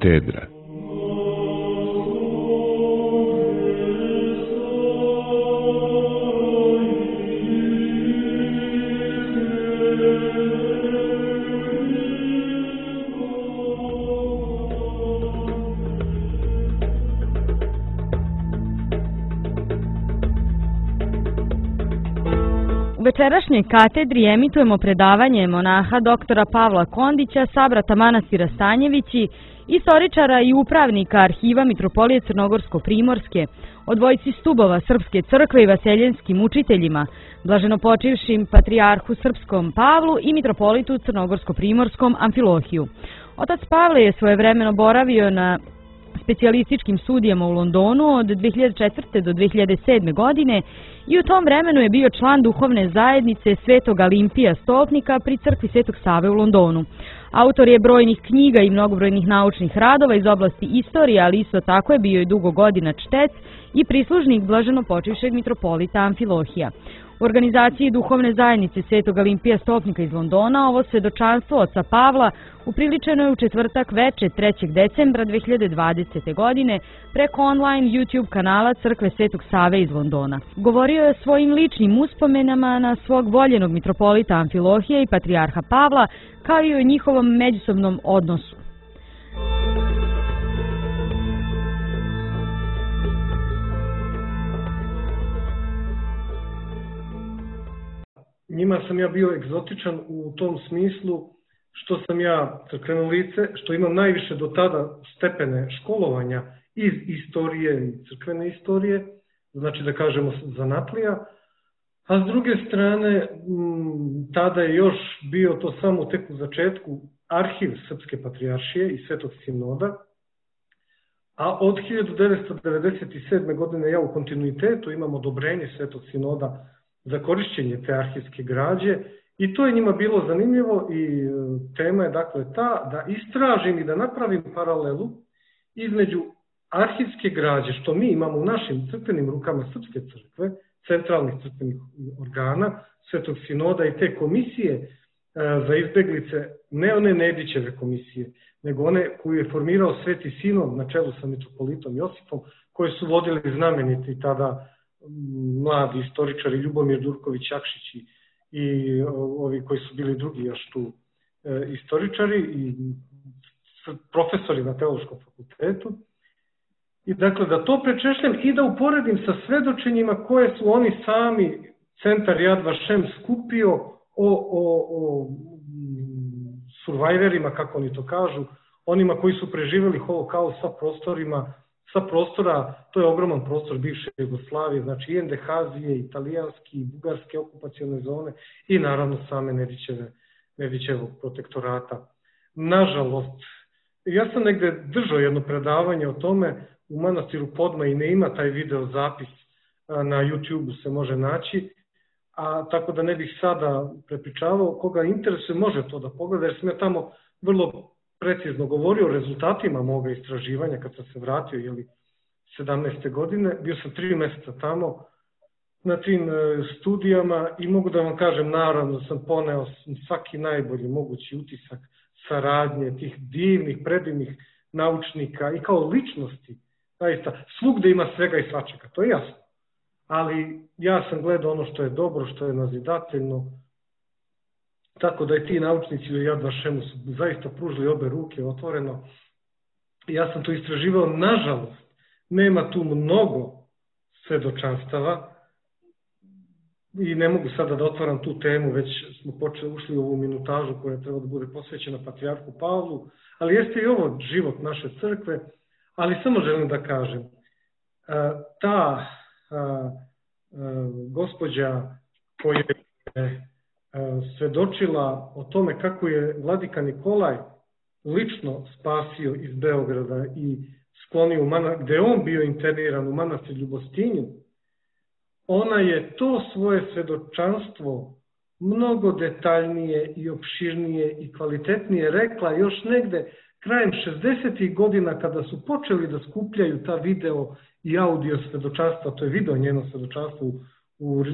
Katedra. U večerašnjoj katedri emitujemo predavanje monaha doktora Pavla Kondića, sabrata manastira Stanjevići, istoričara i upravnika arhiva Mitropolije Crnogorsko-Primorske, o dvojici stubova Srpske crkve i vaseljenskim učiteljima, blaženopočivšim patrijarhu srpskom Pavlu i mitropolitu Crnogorsko-Primorskom Amfilohiju. Otac Pavle je svojevremeno boravio na specijalističkim studijama u Londonu od 2004. do 2007. godine i u tom vremenu je bio član duhovne zajednice Svetog Alimpija Stolpnika pri crkvi Svetog Save u Londonu. Autor je brojnih knjiga i mnogobrojnih naučnih radova iz oblasti istorije, ali isto tako je bio i dugo godina čtec i prislužnik blaženopočivšeg mitropolita Amfilohija. U organizaciji duhovne zajednice Svetog Alimpija Stolpnika iz Londona ovo svedočanstvo oca Pavla upriličeno je u četvrtak veče 3. decembra 2020. godine preko online YouTube kanala Crkve Svetog Save iz Londona. Govorio je svojim ličnim uspomenama na svog voljenog mitropolita Amfilohija i patrijarha Pavla, kao i o njihovom međusobnom odnosu. Njima sam ja bio egzotičan u tom smislu što sam ja crkveno lice, što imam najviše do tada stepene školovanja iz istorije i crkvene istorije, znači da kažemo zanatlija, a s druge strane tada je još bio to samo tek u začetku arhiv Srpske patrijaršije i Svetog sinoda, a od 1997. godine ja u kontinuitetu imam odobrenje Svetog sinoda za korišćenje te arhivske građe i to je njima bilo zanimljivo i tema je dakle ta da istražim i da napravim paralelu između arhivske građe što mi imamo u našim crkvenim rukama Srpske crkve, centralnih crkvenih organa, Svetog sinoda i te komisije za izbeglice, ne one Nedićeve komisije, nego one koju je formirao Sveti sinod na čelu sa mitropolitom Josipom, koje su vodili znameniti tada mladi istoričari Ljubomir Durković-Jakšić i ovi koji su bili drugi još tu istoričari i profesori na Teološkom fakultetu. I dakle da to prečešljam i da uporedim sa svedočenjima koje su oni sami, centar Yad Vashem, skupio o survivorima, kako oni to kažu, onima koji su preživjeli holokaust sa prostora, to je ogroman prostor bivše Jugoslavije, znači i NDH-azije, italijanski, i bugarske okupacione zone i naravno same Nedićevog protektorata. Nažalost, ja sam negde držao jedno predavanje o tome u manastiru Podma i ne ima taj video zapis, na YouTube-u se može naći, a tako da ne bih sada prepričavao, koga interesuje može to da pogleda, jer sam ja tamo vrlo precizno govorio o rezultatima moga istraživanja kad sam se vratio 17. godine. Bio sam 3 mjeseca tamo na tim studijama i mogu da vam kažem, naravno sam poneo svaki najbolji mogući utisak saradnje tih divnih, predivnih naučnika i kao ličnosti. Zaista, svugde ima svega i svačega, to je jasno. Ali ja sam gledao ono što je dobro, što je nazidateljno, tako da i ti naučnici u Yad Vashemu su zaista pružili obe ruke otvoreno. Ja sam to istraživao, nažalost, nema tu mnogo svedočanstava i ne mogu sada da otvaram tu temu, već smo ušli u ovu minutažu koja treba da bude posvećena patrijarhu Pavlu, ali jeste i ovo život naše crkve, ali samo želim da kažem, ta gospođa koja je svedočila o tome kako je vladika Nikolaj lično spasio iz Beograda i sklonio gde je on bio interniran u manastir Ljubostinju, ona je to svoje svedočanstvo mnogo detaljnije i opširnije i kvalitetnije rekla još negde krajem 60. godina kada su počeli da skupljaju ta video i audio svedočanstva, to je video njeno svedočanstvo u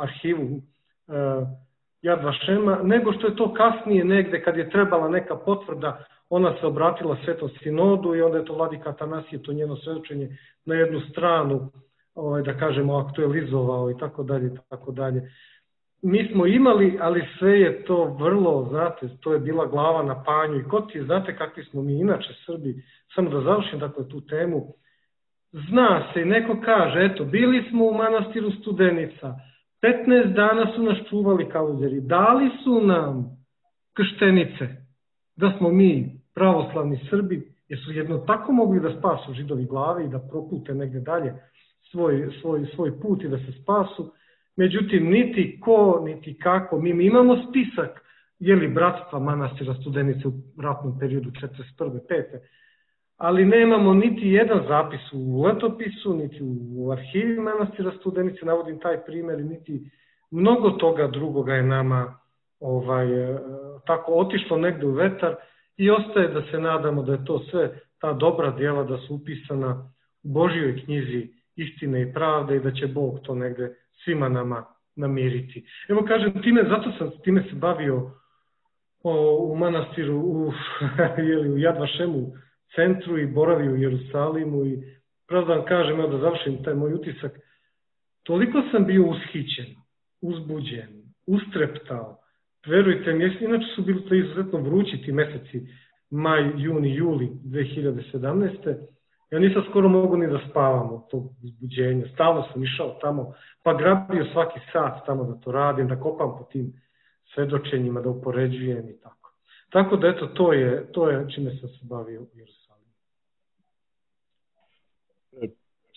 arhivu Yad Vashema, nego što je to kasnije negde kad je trebala neka potvrda ona se obratila Svetom sinodu i onda je to vladika Atanasije, to njeno svedočenje na jednu stranu, da kažemo, aktualizovao i tako dalje, tako dalje. Mi smo imali, ali sve je to vrlo, znate, to je bila glava na panju i ko ti znate kakvi smo mi inače Srbi, samo da završim dakle tu temu, zna se i neko kaže, eto, bili smo u manastiru Studenica, 15 dana su nas čuvali kaluđeri, dali su nam krštenice, da smo mi pravoslavni Srbi, jer su jedno tako mogli da spasu židovi glave i da propute negde dalje svoj put i da se spasu. Međutim, niti ko, niti kako, mi imamo spisak bratstva manastira Studenice u ratnom periodu 41. 5. Ali nemamo niti jedan zapis u letopisu, niti u arhivi manastira Studenice, navodim taj primjer, niti mnogo toga drugoga je nama tako otišlo negde u vetar i ostaje da se nadamo da je to sve ta dobra djela da su upisana u Božjoj knjizi istine i pravde i da će Bog to negde svima nama namiriti. Evo kažem, zato sam time se bavio u manastiru u Jad Vašemu centru i boravio u Jerusalimu i pravo da vam kažem, da završim taj moj utisak, toliko sam bio ushićen, uzbuđen, ustreptao, verujte mi, inače su bili to izuzetno vrući ti meseci, maj, juni, juli 2017. Ja nisam skoro mogu ni da spavam od tog uzbuđenja. Stalno sam išao tamo, pa grabio svaki sat tamo da to radim, da kopam po tim svedočenjima, da upoređujem i tako. Tako da eto, to je čime sam se bavio u Jerusalimu.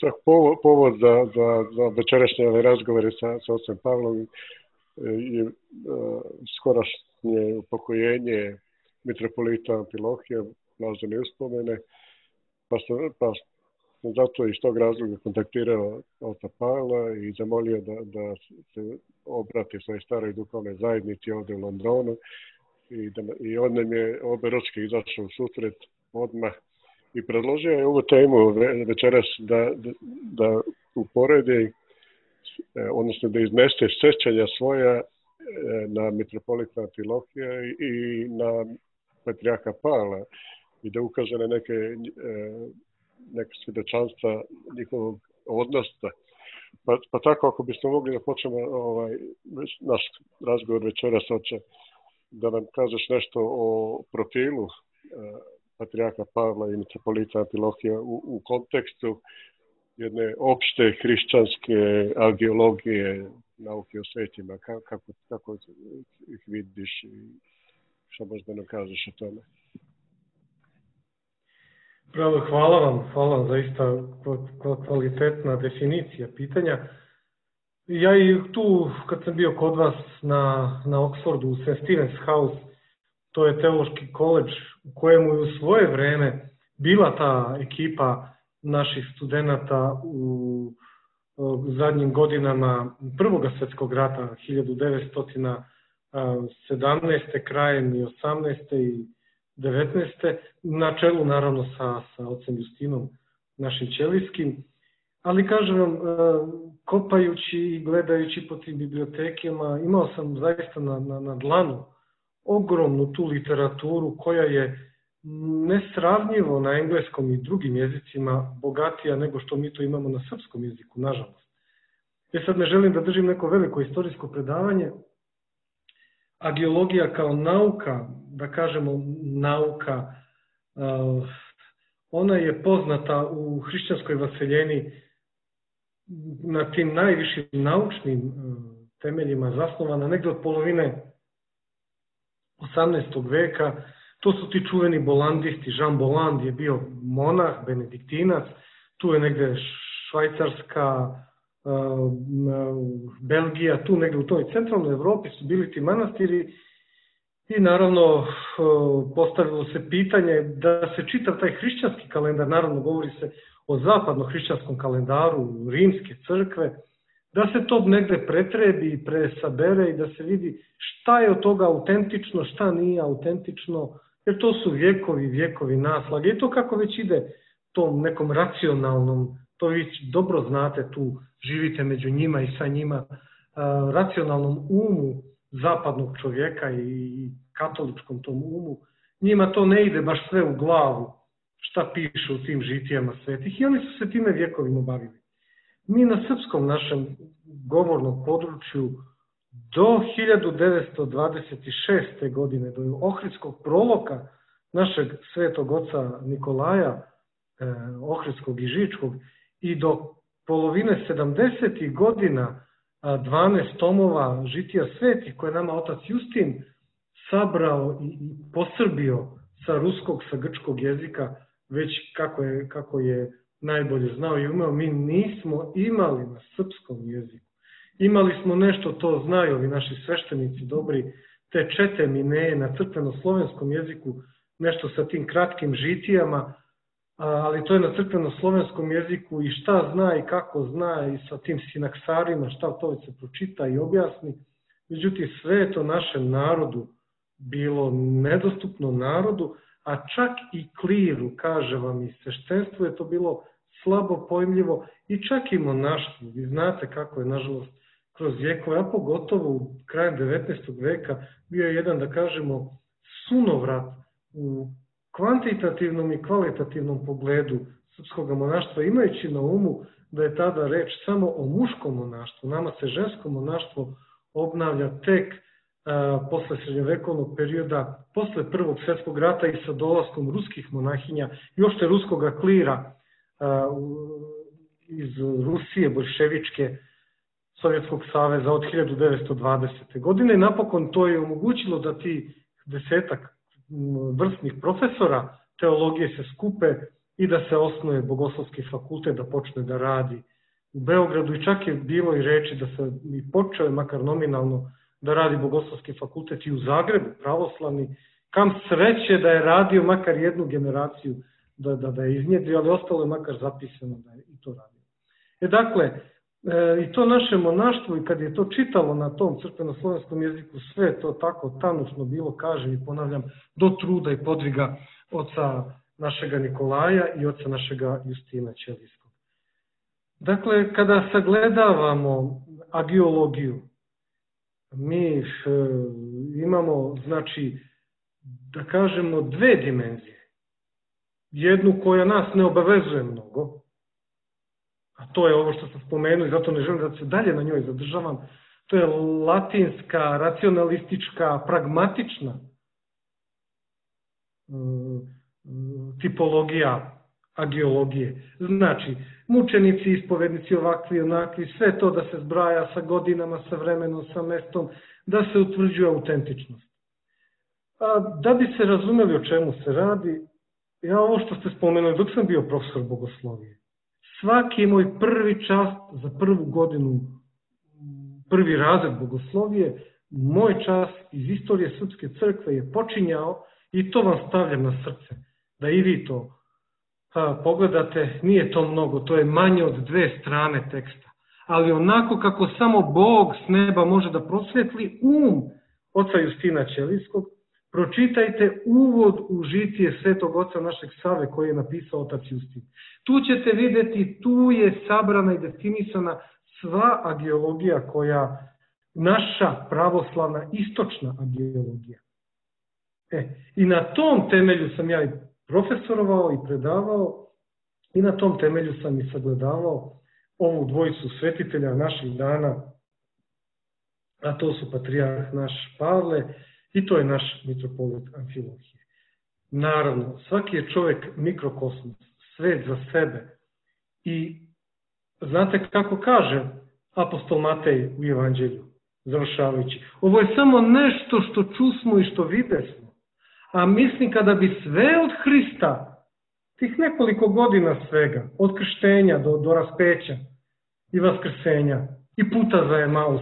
Čak povod za večerašnje razgovore sa ocem Pavlom je skorašnje upokojenje mitropolita Amfilohija, blažene uspomene, pa sam zato iz tog razloga kontaktirao oca Pavla i zamolio da se obrati svojoj staroj duhovnoj zajednici ovdje u Londonu i on nam je oberučke izašao u susret odmah i predložio je ovu temu večeras da uporedi, odnosno da iznese sjećanja svoja na mitropolita Amfilohija i na patrijarha Pavla i da ukaže na neke svjedočanstva njihovog odnosa. Pa tako, ako bismo mogli da počnemo naš razgovor večeras, oče, da nam kažeš nešto o profilu patrijarha Pavla i mitropolita Amfilohija u kontekstu jedne opšte hrišćanske agiologije, nauke o svetima, kako ih vidiš i što možda nam kažeš o tome? Pravo, hvala vam, zaista kvalitetna definicija pitanja. Ja i tu, kad sam bio kod vas na Oxfordu, u St. Stephen's House, to je teološki koledž u kojemu je u svoje vreme bila ta ekipa naših studenata u zadnjim godinama Prvog svjetskog rata, 1917. krajem i 18. i 19. na čelu naravno sa ocem Justinom, našim ćelijskim. Ali kažem vam, kopajući i gledajući po tim bibliotekama, imao sam zaista na dlanu ogromnu tu literaturu koja je nesravnjivo na engleskom i drugim jezicima bogatija nego što mi to imamo na srpskom jeziku, nažalost. Ja sad ne želim da držim neko veliko istorijsko predavanje. Agiologija kao nauka, da kažemo nauka, ona je poznata u hrišćanskoj vaseljeni na tim najvišim naučnim temeljima zasnovana negde od polovine 18. veka. To su ti čuveni bolandisti. Jean Bolland je bio monah, benediktinac, tu je negde Švajcarska, Belgija, tu negde u toj centralnoj Evropi su bili ti manastiri i naravno postavilo se pitanje da se čitav taj hrišćanski kalendar, naravno govori se o zapadno-hrišćanskom kalendaru Rimske crkve, da se to negde pretrebi i presabere i da se vidi šta je od toga autentično, šta nije autentično, jer to su vjekovi naslage i to kako već ide tom nekom racionalnom, to vi dobro znate, tu živite među njima i sa njima, racionalnom umu zapadnog čovjeka i katoličkom tom umu njima to ne ide baš sve u glavu šta piše u tim žitijama svetih i oni su se time vjekovima bavili. Mi na srpskom našem govornom području do 1926. godine, do Ohridskog proloka našeg svetog oca Nikolaja, Ohridskog i Žičkog, i do polovine 70. godina 12 tomova žitija svetih koje nama otac Justin sabrao i posrbio sa ruskog, sa grčkog jezika, već kako je najbolje znao i umeo, mi nismo imali na srpskom jeziku. Imali smo nešto, to znaju ovi naši sveštenici dobri, te čete mineje na crkveno-slovenskom jeziku, nešto sa tim kratkim žitijama, ali to je na crkveno-slovenskom jeziku i šta zna i kako zna i sa tim sinaksarima, šta to se pročita i objasni. Međutim, sve je to našem narodu bilo nedostupno narodu, a čak i kliru, kaže vam, i sveštenstvu je to bilo slabo pojmljivo i čak i monaštvu. Vi znate kako je, nažalost, kroz vjekove, a pogotovo u krajem 19. veka bio je jedan, da kažemo, sunovrat u kvantitativnom i kvalitativnom pogledu srpskog monaštva, imajući na umu da je tada reč samo o muškom monaštvu. Nama se žensko monaštvo obnavlja tek posle srednjovekovnog perioda, posle Prvog svjetskog rata i sa dolaskom ruskih monahinja i uopšte ruskog klira iz Rusije, bolševičke, Sovjetskog saveza od 1920. godine. I napokon to je omogućilo da ti 10 vrstnih profesora teologije se skupe i da se osnuje Bogoslovski fakultet, da počne da radi u Beogradu. I čak je bilo i reči da se i počeo, makar nominalno, da radi Bogoslovski fakultet i u Zagrebu, pravoslavni. Kam sreće da je radio makar jednu generaciju da je iznjedrio, ali ostalo je makar zapisano da je i to radio. Dakle, i to naše monaštvo, i kad je to čitalo na tom crkveno-slovenskom jeziku, sve to tako tanušno bilo, kažem i ponavljam, do truda i podviga oca našega Nikolaja i oca našega Justina Ćelijskog. Dakle, kada sagledavamo agiologiju, mi imamo, znači, da kažemo, dve dimenzije. Jednu koja nas ne obavezuje mnogo, a to je ovo što sam spomenuo i zato ne želim da se dalje na njoj zadržavam, to je latinska, racionalistička, pragmatična tipologija agiologije. Znači, mučenici, ispovednici, ovakvi, onakvi, sve to da se zbraja sa godinama, sa vremenom, sa mestom, da se utvrđuje autentičnost. Da bi se razumeli o čemu se radi, ja ovo što ste spomenuli, dok sam bio profesor bogoslovije, svaki moj prvi čas za prvu godinu, prvi razred bogoslovije, moj čas iz istorije Srpske crkve je počinjao, i to vam stavljam na srce, da i vi to pogledate, nije to mnogo, to je manje od 2 strane teksta, ali onako kako samo Bog s neba može da prosvetli oca Justina Ćelijskog, pročitajte uvod u žitije svetog oca našeg Save koji je napisao otac Justin. Tu ćete vidjeti, tu je sabrana i definisana sva agiologija koja, naša pravoslavna istočna agiologija. I na tom temelju sam ja i profesorovao i predavao i na tom temelju sam i sagledavao ovu dvojicu svetitelja naših dana, a to su patrijarh naš Pavle i to je naš mitropolit Amfilohije. Naravno, svaki je čovjek mikrokosmos, svet za sebe. I znate kako kaže apostol Matej u Evanđelju, završavajući, ovo je samo nešto što čusmo i što videsmo, a mislim kada bi sve od Hrista, tih nekoliko godina svega, od krštenja do raspeća i vaskrsenja i puta za Emaus,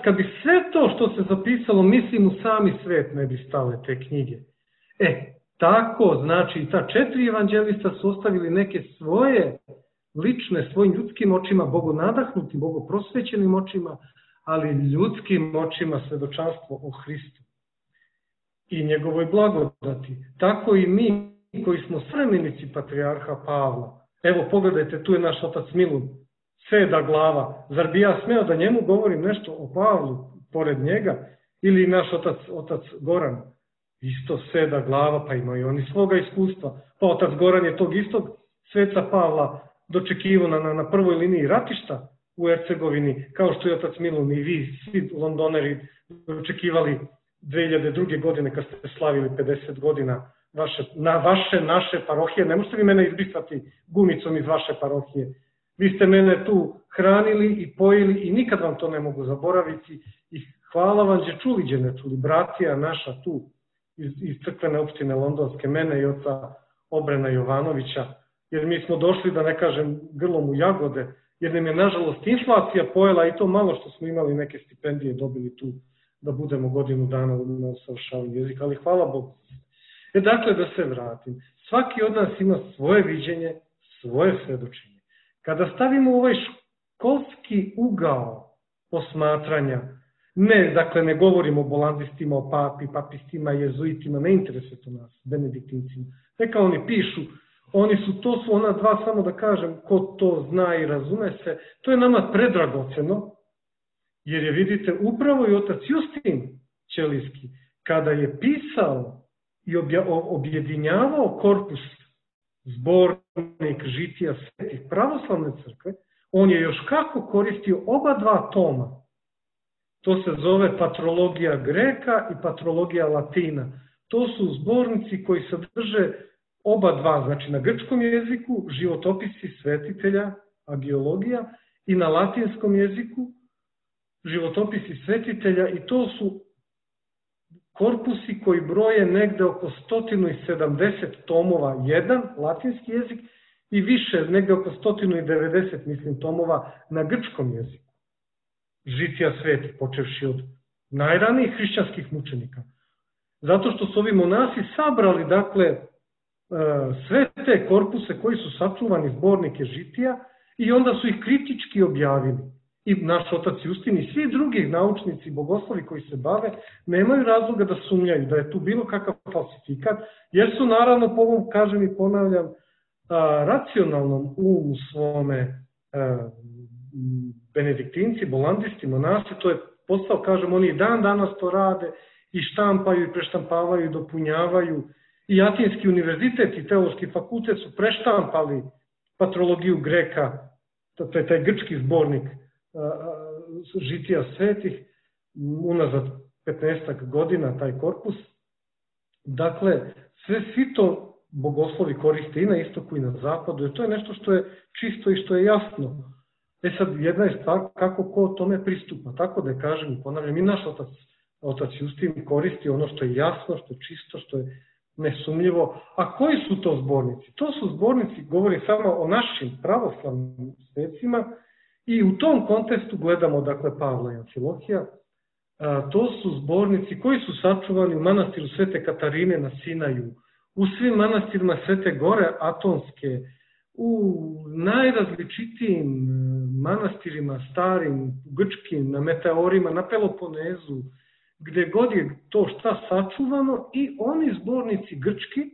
kad bi sve to što se zapisalo, mislim u sami svet ne bi stale te knjige. Tako, znači, ta 4 evanđelista su ostavili neke svoje lične, svojim ljudskim očima, bogonadahnutim, bogoprosvećenim očima, ali ljudskim očima svedočanstvo o Hristu i njegovoj blagodati. Tako i mi koji smo svremenici patrijarha Pavla. Evo, pogledajte, tu je naš otac Milun, seda glava. Zar bi ja smeo da njemu govorim nešto o Pavlu pored njega? Ili naš otac Goran, isto seda glava, pa imaju oni svoga iskustva. Pa otac Goran je tog istog sveca Pavla dočekivao na prvoj liniji ratišta u Hercegovini, kao što je otac Milun i vi, svi londoneri, dočekivali 2002. godine kad ste slavili 50 godina naše parohije. Ne možete vi mene izbrisati gumicom iz vaše parohije. Vi ste mene tu hranili i pojili i nikad vam to ne mogu zaboraviti. I hvala vam, ne čuli, bratija naša tu iz crkvene opštine londonske, mene i oca Obrena Jovanovića, jer mi smo došli, da ne kažem, grlom u jagode, jer nam je, nažalost, inflacija pojela i to malo što smo imali neke stipendije dobili tu da budemo godinu dana na usavršavanju jezika, ali hvala Bogu. Dakle, da se vratim. Svaki od nas ima svoje viđenje, svoje svedočenje. Kada stavimo ovaj školski ugao posmatranja, dakle, ne govorimo o bolandistima, o papi, papistima, jezuitima, ne interesuje to nas, benediktincima. Neka oni pišu, to su ona dva, samo da kažem, ko to zna i razume se, to je nama predragoceno, jer je, vidite, upravo i otac Justin Ćelijski, kada je pisao i objedinjavao korpus zbornik žitija svetih pravoslavne crkve, on je još kako koristio oba dva toma. To se zove patrologija Greka i patrologija Latina. To su zbornici koji sadrže oba dva, znači na grčkom jeziku životopisi svetitelja, agiologija, i na latinskom jeziku životopisi svetitelja, i to su korpusi koji broje negde oko 170 tomova jedan, latinski jezik, i više, negde oko 190, mislim, tomova na grčkom jeziku. Žitija svetih, počevši od najranijih hrišćanskih mučenika. Zato što su ovi monasi sabrali, dakle, sve te korpuse koji su sačuvani, zbornike žitija, i onda su ih kritički objavili. I naš otac Justin i svi drugi naučnici, bogoslovi koji se bave, nemaju razloga da sumnjaju da je tu bilo kakav falsifikat, jer su, naravno, po ovom, kažem i ponavljam, racionalnom umu svome benediktinci, bolandisti, monasi, to je postao, kažem, oni dan danas to rade i štampaju i preštampavaju i dopunjavaju. I Atinski univerzitet i Teološki fakultet su preštampali patrologiju Greka, to je taj grčki zbornik žitija svetih, unazad 15 godina taj korpus. Dakle, svi to bogoslovi koriste i na istoku i na zapadu, jer to je nešto što je čisto i što je jasno. Sad, jedna je stvar kako ko tome pristupa, tako da je, kažem i ponavljam, i naš otac Justin koristi ono što je jasno, što je čisto, što je nesumljivo. A koji su to zbornici? To su zbornici, govori samo o našim pravoslavnim svecima, i u tom kontekstu gledamo, dakle, Pavla i Amfilohija. To su zbornici koji su sačuvani u manastiru Svete Katarine na Sinaju, u svim manastirima Svete Gore Atonske, u najrazličitijim manastirima starim, grčkim, na Meteorima, na Peloponezu, gde god je to šta sačuvano, i oni zbornici grčki,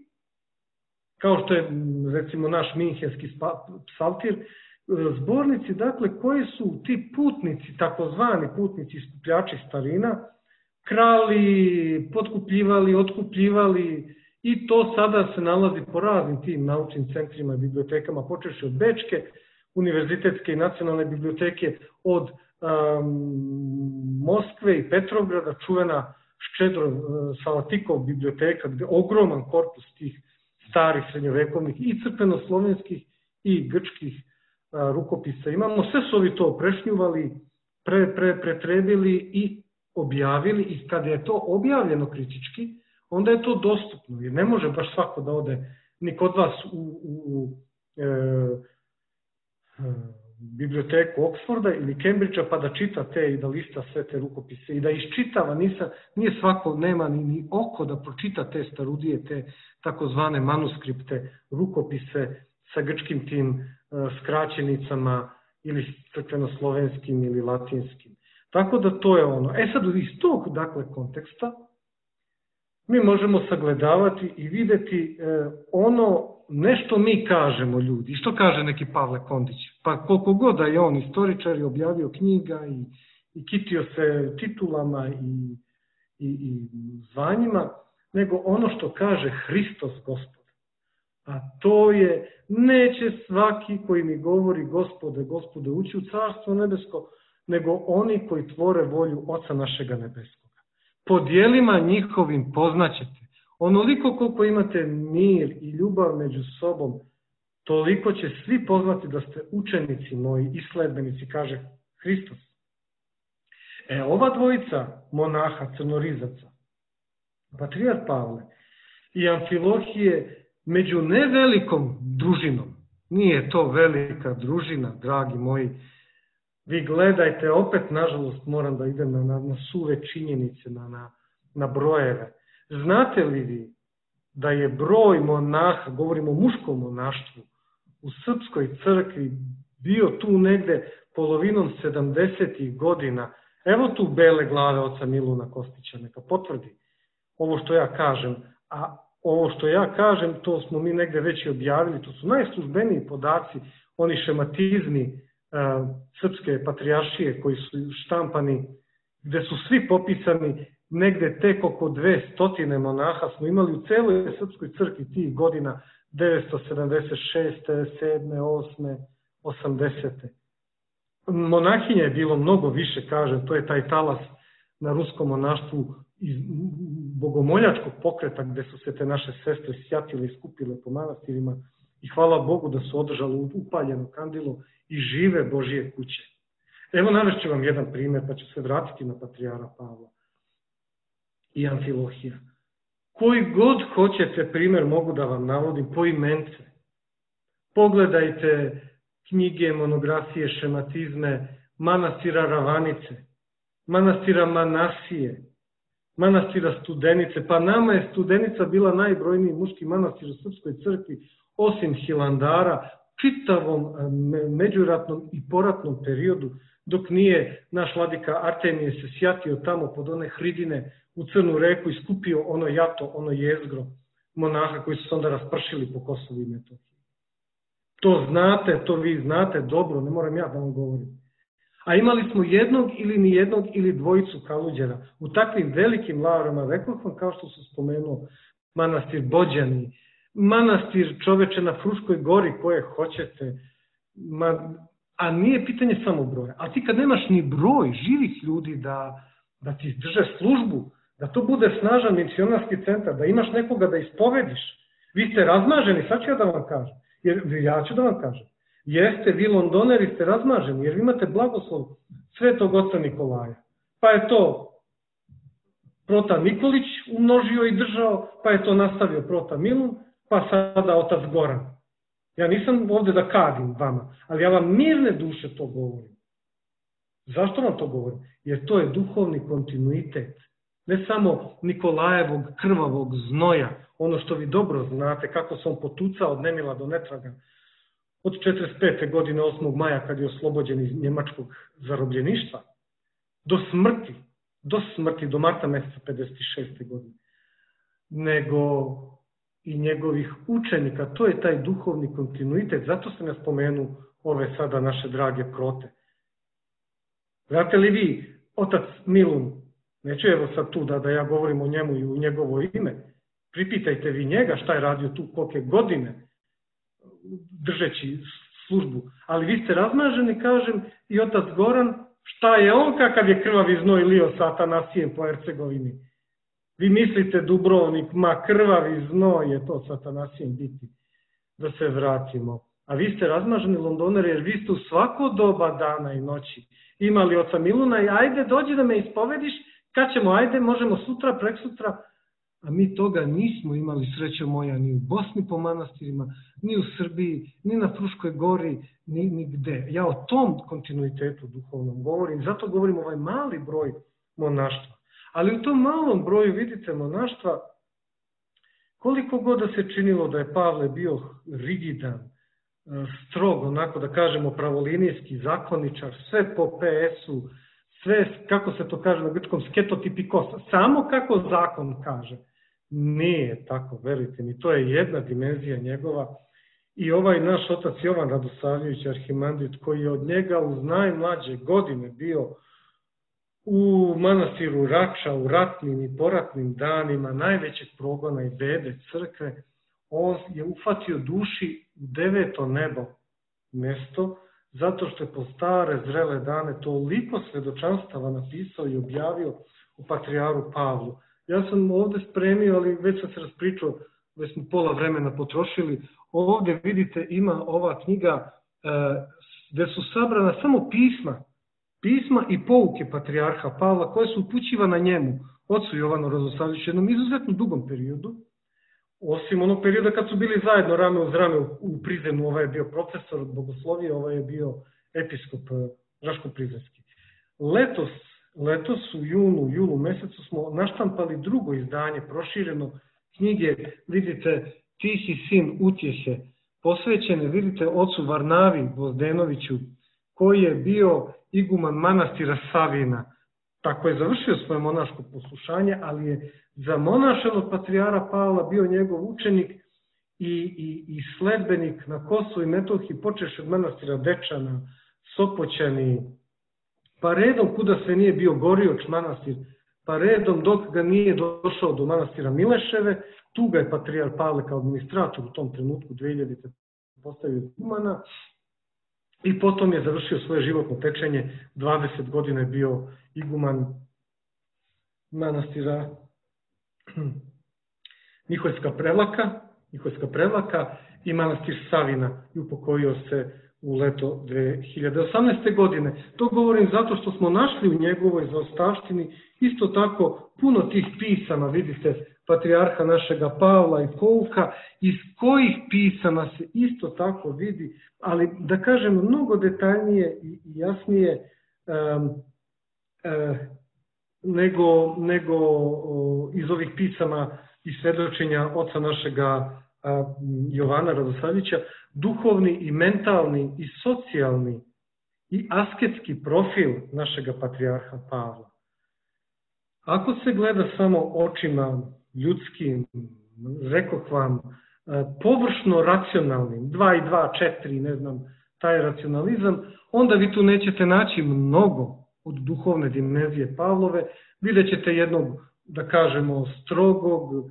kao što je, recimo, naš minhenski psaltir, zbornici, dakle, koji su ti putnici, takozvani putnici, skupljači starina, krali, potkupljivali, otkupljivali, i to sada se nalazi po raznim tim naučnim centrima i bibliotekama, počevši od Bečke, univerzitetske i nacionalne biblioteke, od Moskve i Petrovgrada, čuvena Ščedro Salatikov biblioteka, gde je ogroman korpus tih starih srednjovekovnih i crkveno-slovenskih i grčkih rukopisa imamo. Sve su ovi to prešnjuvali, pretrebili i objavili, i kada je to objavljeno kritički, onda je to dostupno, jer ne može baš svako da ode ni kod vas u biblioteku Oxforda ili Cambridgea pa da čita te i da lista sve te rukopise i da iščitava. Nije svako, nema ni oko da pročita te starudije, te takozvane manuskripte, rukopise sa grčkim tim skraćenicama ili crkveno-slovenskim ili latinskim. Tako da to je ono. Sad iz tog, dakle, konteksta mi možemo sagledavati i videti ono nešto mi kažemo ljudi. I što kaže neki Pavle Kondić? Pa koliko god da je on istoričar i objavio knjiga i kitio se titulama i zvanjima, nego ono što kaže Hristos Gospod. A to je, neće svaki koji mi govori Gospode, Gospode, ući u Carstvo nebesko, nego oni koji tvore volju Oca našega nebeskoga. Po djelima njihovim poznaćete. Onoliko koliko imate mir i ljubav među sobom, toliko će svi poznati da ste učenici moji i sledbenici, kaže Hristos. Ova dvojica monaha, crnorizaca, patrijarh Pavle i Amfilohije, među nevelikom družinom, nije to velika družina, dragi moji, vi gledajte, opet nažalost moram da idem na suve činjenice, na brojeve. Znate li vi da je broj monaha, govorimo o muškom monaštvu, u srpskoj crkvi bio tu negde polovinom 70. godina? Evo tu bele glave oca Miluna Kostića, neka potvrdi ovo što ja kažem. A ovo što ja kažem, to smo mi negde već i objavili, to su najslužbeniji podaci, oni šematizmi srpske patrijaršije koji su štampani, gde su svi popisani, negde tek oko 200 monaha smo imali u celoj srpskoj crkvi tih godina 976. 7. 8. 80. Monahinja je bilo mnogo više, kažem, to je taj talas na ruskom monaštvu iz bogomoljačkog pokreta gde su se te naše sestre sjatile i skupile po manastirima i hvala Bogu da su održali upaljeno kandilo i žive Božije kuće. Evo navešću vam jedan primjer pa ću se vratiti na patrijara Pavla i Amfilohija. Koji god hoćete primjer mogu da vam navodim po imence. Pogledajte knjige, monografije, šematizme manastira Ravanice, manastira Manasije, manastira Studenice. Pa nama je Studenica bila najbrojniji muški manastir u srpskoj crkvi, osim Hilandara, čitavom međuratnom i poratnom periodu, dok nije naš vladika Artemije se sjatio tamo pod one hridine u Crnu reku i skupio ono jato, ono jezgro monaha koji su se onda raspršili po Kosovu i Metohiji. To znate, to vi znate dobro, ne moram ja da vam govorim. A imali smo jednog ili nijednog ili dvojicu kaluđera u takvim velikim lavrama, rekao vam kao što su spomenuo manastir Bođani, manastir čoveče na Fruškoj gori koje hoćete, a nije pitanje samo broja. A ti kad nemaš ni broj živih ljudi da ti drže službu, da to bude snažan misionarski centar, da imaš nekoga da ispovediš, vi ste razmaženi, sad ću ja da vam kažem, jer ja ću da vam kažem, jeste, vi Londoneri ste razmaženi, jer vi imate blagoslov Svetog oca Nikolaja, pa je to prota Nikolić umnožio i držao, pa je to nastavio prota Milun, pa sada otac Goran. Ja nisam ovde da kadim vama, ali ja vam mirne duše to govorim. Zašto vam to govorim? Jer to je duhovni kontinuitet. Ne samo Nikolajevog krvavog znoja, ono što vi dobro znate, kako se on potucao od nemila do netraga, od 45. godine 8. maja kad je oslobođen iz njemačkog zarobljeništva, do smrti, do marta meseca 56. godine, nego i njegovih učenika, to je taj duhovni kontinuitet, zato se ne spomenu ove sada naše drage prote. Znate li vi, otac Milun, neću evo sad tu da ja govorim o njemu i u njegovo ime, pripitajte vi njega šta je radio tu kolike godine držeći službu, ali vi ste razmaženi, kažem, i otac Goran, šta je on kakav je krvavi znoj lio sa Atanasijem po Hercegovini. Vi mislite Dubrovnik, ma krvavi znoj je to sa Atanasijem biti. Da se vratimo. A vi ste razmaženi Londoneri jer vi ste u svako doba dana i noći imali oca Miluna i ajde dođi da me ispovediš, kad ćemo, ajde, možemo sutra, preksutra. A mi toga nismo imali, srećo moja, ni u Bosni po manastirima, ni u Srbiji, ni na Fruškoj gori, ni gde. Ja o tom kontinuitetu duhovnom govorim, zato govorim ovaj mali broj monaštva. Ali u tom malom broju, vidite, monaštva, koliko god da se činilo da je Pavle bio rigidan, strog, onako da kažemo pravolinijski zakoničar, sve po PS-u, sve, kako se to kaže na grčkom, sketotipikos, samo kako zakon kaže. Nije tako, verujte mi, to je jedna dimenzija njegova. I ovaj naš otac Jovan Radosavljević, arhimandrit, koji je od njega uz najmlađe godine bio u manastiru Rača, u ratnim i poratnim danima najvećeg progona i bede crkve, on je ufatio duši u 9. nebo mjesto, zato što je po stare zrele dane toliko svedočanstava napisao i objavio u patrijaru Pavlu. Ja sam ovdje spremio, ali već sam se raspričao, već smo pola vremena potrošili. Ovdje vidite ima ova knjiga gdje su sabrana samo pisma i pouke patrijarha Pavla koje su upućivana njemu, ocu Jovanu Radosavljeviću, jednom izuzetno dugom periodu, osim onog perioda kad su bili zajedno rame uz rame u Prizrenu. Ovaj je bio profesor bogoslovije, ovaj je bio episkop Raško-Prizrenski. Letos u julu mesecu smo naštampali drugo izdanje, prošireno knjige, vidite, Tihi sin utjehe, posvećene, vidite, ocu Varnavi Gvozdenoviću, koji je bio iguman manastira Savina. Tako je završio svoje monaško poslušanje, ali je za monašenog patrijara Pavla bio njegov učenik i sledbenik na Kosovu i Metohiji, počevši od manastira Dečana, Sopoćani, pa redom kuda sve nije bio Gorioč manastir, pa redom dok ga nije došao do manastira Mileševe, tu ga je patrijar Pavle kao administrator u tom trenutku 2000. postavio igumana i potom je završio svoje životno tečenje, 20 godina je bio iguman manastira Miholjska Prevlaka i manastir Savina i upokojio se u leto 2018. godine. To govorim zato što smo našli u njegovoj zaostavštini isto tako puno tih pisama, vidite, patrijarha našega Pavla i pouka, iz kojih pisama se isto tako vidi, ali da kažem mnogo detaljnije i jasnije nego iz ovih pisama i svedočenja oca našega Jovana Radosavljevića, duhovni i mentalni i socijalni i asketski profil našega patrijarha Pavla. Ako se gleda samo očima ljudskim, rekoh vam, površno racionalnim, 2 i 2, 4, ne znam, taj racionalizam, onda vi tu nećete naći mnogo od duhovne dimenzije Pavlove, vidjet ćete jednog, da kažemo, strogog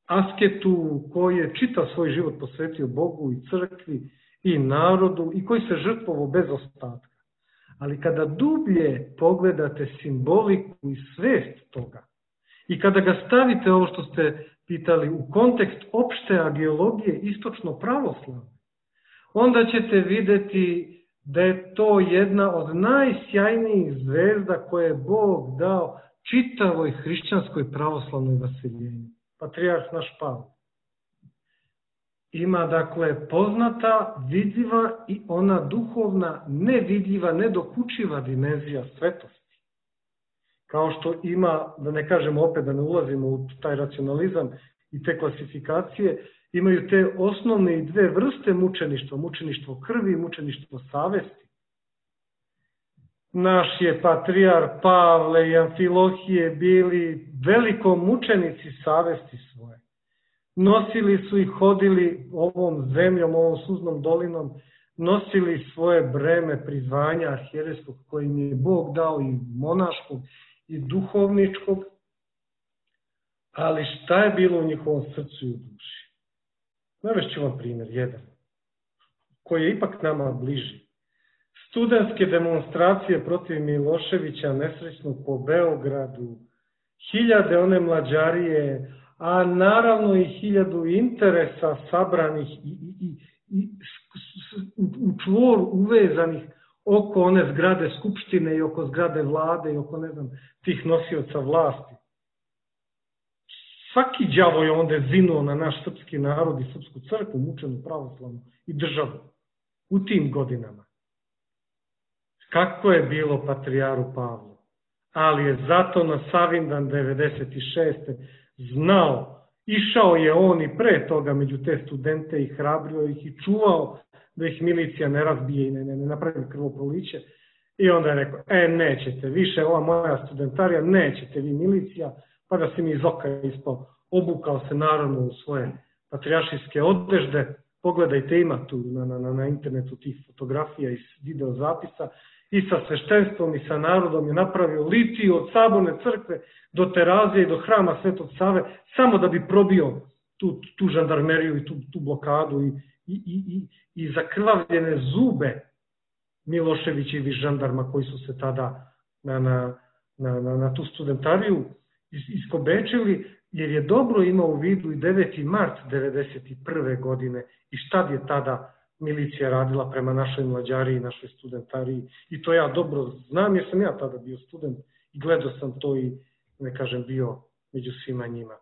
asketu koji je čitav svoj život posvetio Bogu i crkvi i narodu i koji se žrtvovao bez ostatka. Ali kada dublje pogledate simboliku i svest toga i kada ga stavite, ovo što ste pitali, u kontekst opšte ageologije istočno pravoslavne, onda ćete vidjeti da je to jedna od najsjajnijih zvezda koje je Bog dao čitavoj hrišćanskoj pravoslavnoj vaseljenju. Patrijarh naš Pavle ima, dakle, poznata, vidljiva i ona duhovna, nevidljiva, nedokučiva dimenzija svetosti. Kao što ima, da ne kažemo opet, da ne ulazimo u taj racionalizam i te klasifikacije, imaju te osnovne i dve vrste mučeništva, mučeništvo krvi i mučeništvo savesti. Naš je patrijar Pavle i Amfilohije bili veliko mučenici savesti svoje. Nosili su i hodili ovom zemljom, ovom suznom dolinom, nosili svoje breme prizvanja arhijerejskog koje im je Bog dao i monaškog i duhovničkog, ali šta je bilo u njihovom srcu i u duši? Navešću vam primjer, jedan, koji je ipak nama bliži. Studentske demonstracije protiv Miloševića nesrećnog po Beogradu, 1000 one mlađarije, a naravno i 1000 interesa sabranih i u čvor uvezanih oko one zgrade Skupštine i oko zgrade vlade i oko, ne znam, tih nosioca vlasti. Svaki đavo je onda zinuo na naš srpski narod i srpsku crkvu, mučenu pravoslavnu i državu u tim godinama. Kako je bilo patrijaru Pavlu? Ali je zato na Savindan 96. znao, išao je on i pre toga među te studente i hrabrio ih i čuvao da ih milicija ne razbije i ne napravi krvoproliće. I onda je rekao, nećete više, ova moja studentarija, nećete vi milicija, pa da si mi iz oka ispao. Obukao se naravno u svoje patrijaršijske odežde, pogledajte, ima tu na internetu tih fotografija i videozapisa, i sa sveštenstvom i sa narodom je napravio litiju od Saborne crkve do Terazije i do hrama Svetog Save, samo da bi probio tu žandarmeriju i tu blokadu i zakrvavljene zube Miloševićevih žandarma koji su se tada na tu studentariju iskobečili, jer je dobro imao u vidu i 9. mart 1991. godine i šta je tada milicija radila prema našoj mlađariji i našoj studentariji. I to ja dobro znam jer sam ja tada bio student i gledao sam to i, ne kažem, bio među svima njima.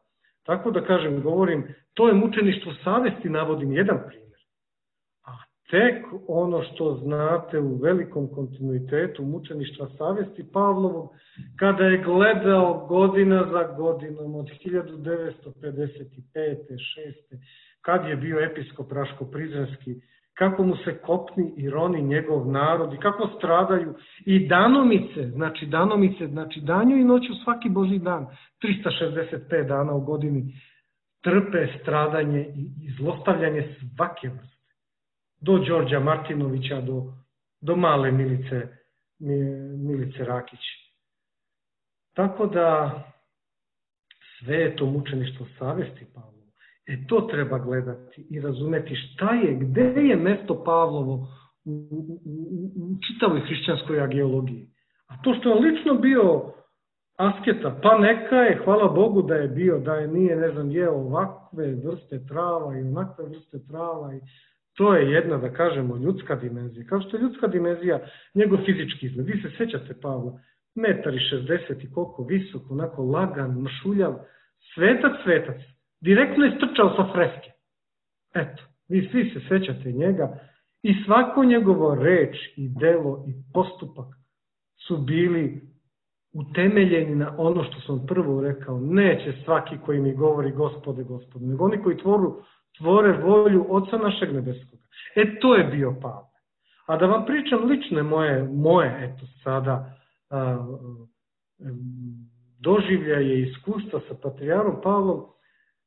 Tako da kažem, govorim, to je mučeništvo savesti, navodim jedan primjer. A tek ono što znate u velikom kontinuitetu mučeništva savesti Pavlovog, kada je gledao godina za godinom od 1955. 6. kad je bio episkop Raško-Prizrenski, kako mu se kopni i roni njegov narod i kako stradaju i danomice, znači danju i noću svaki Božji dan, 365 dana u godini, trpe stradanje i zlostavljanje svake vrste. Do Đorđa Martinovića, do male Milice Rakić. Tako da sve je to mučeništvo savesti Pavlovo. To treba gledati i razumeti šta je, gde je mesto Pavlovo u čitavoj hrišćanskoj ageologiji. A to što je lično bio asketa, pa neka je, hvala Bogu da je bio, da je nije, ne znam, jeo ovakve vrste trava i onakve vrste trava i to je jedna, da kažemo, ljudska dimenzija. Kao što je ljudska dimenzija njegov fizički izgled. Vi se sećate Pavla, 1,60 m i koliko visok, onako lagan, mršuljav, svetac. Direktno je strčao sa freske. Eto, vi svi se sećate njega i svako njegovo reč i delo i postupak su bili utemeljeni na ono što sam prvo rekao. Neće svaki koji mi govori Gospode, nego oni koji tvore volju Oca našeg nebeskog. To je bio Pavle. A da vam pričam lične moje eto sada doživljaje i iskustva sa patrijarom Pavlom.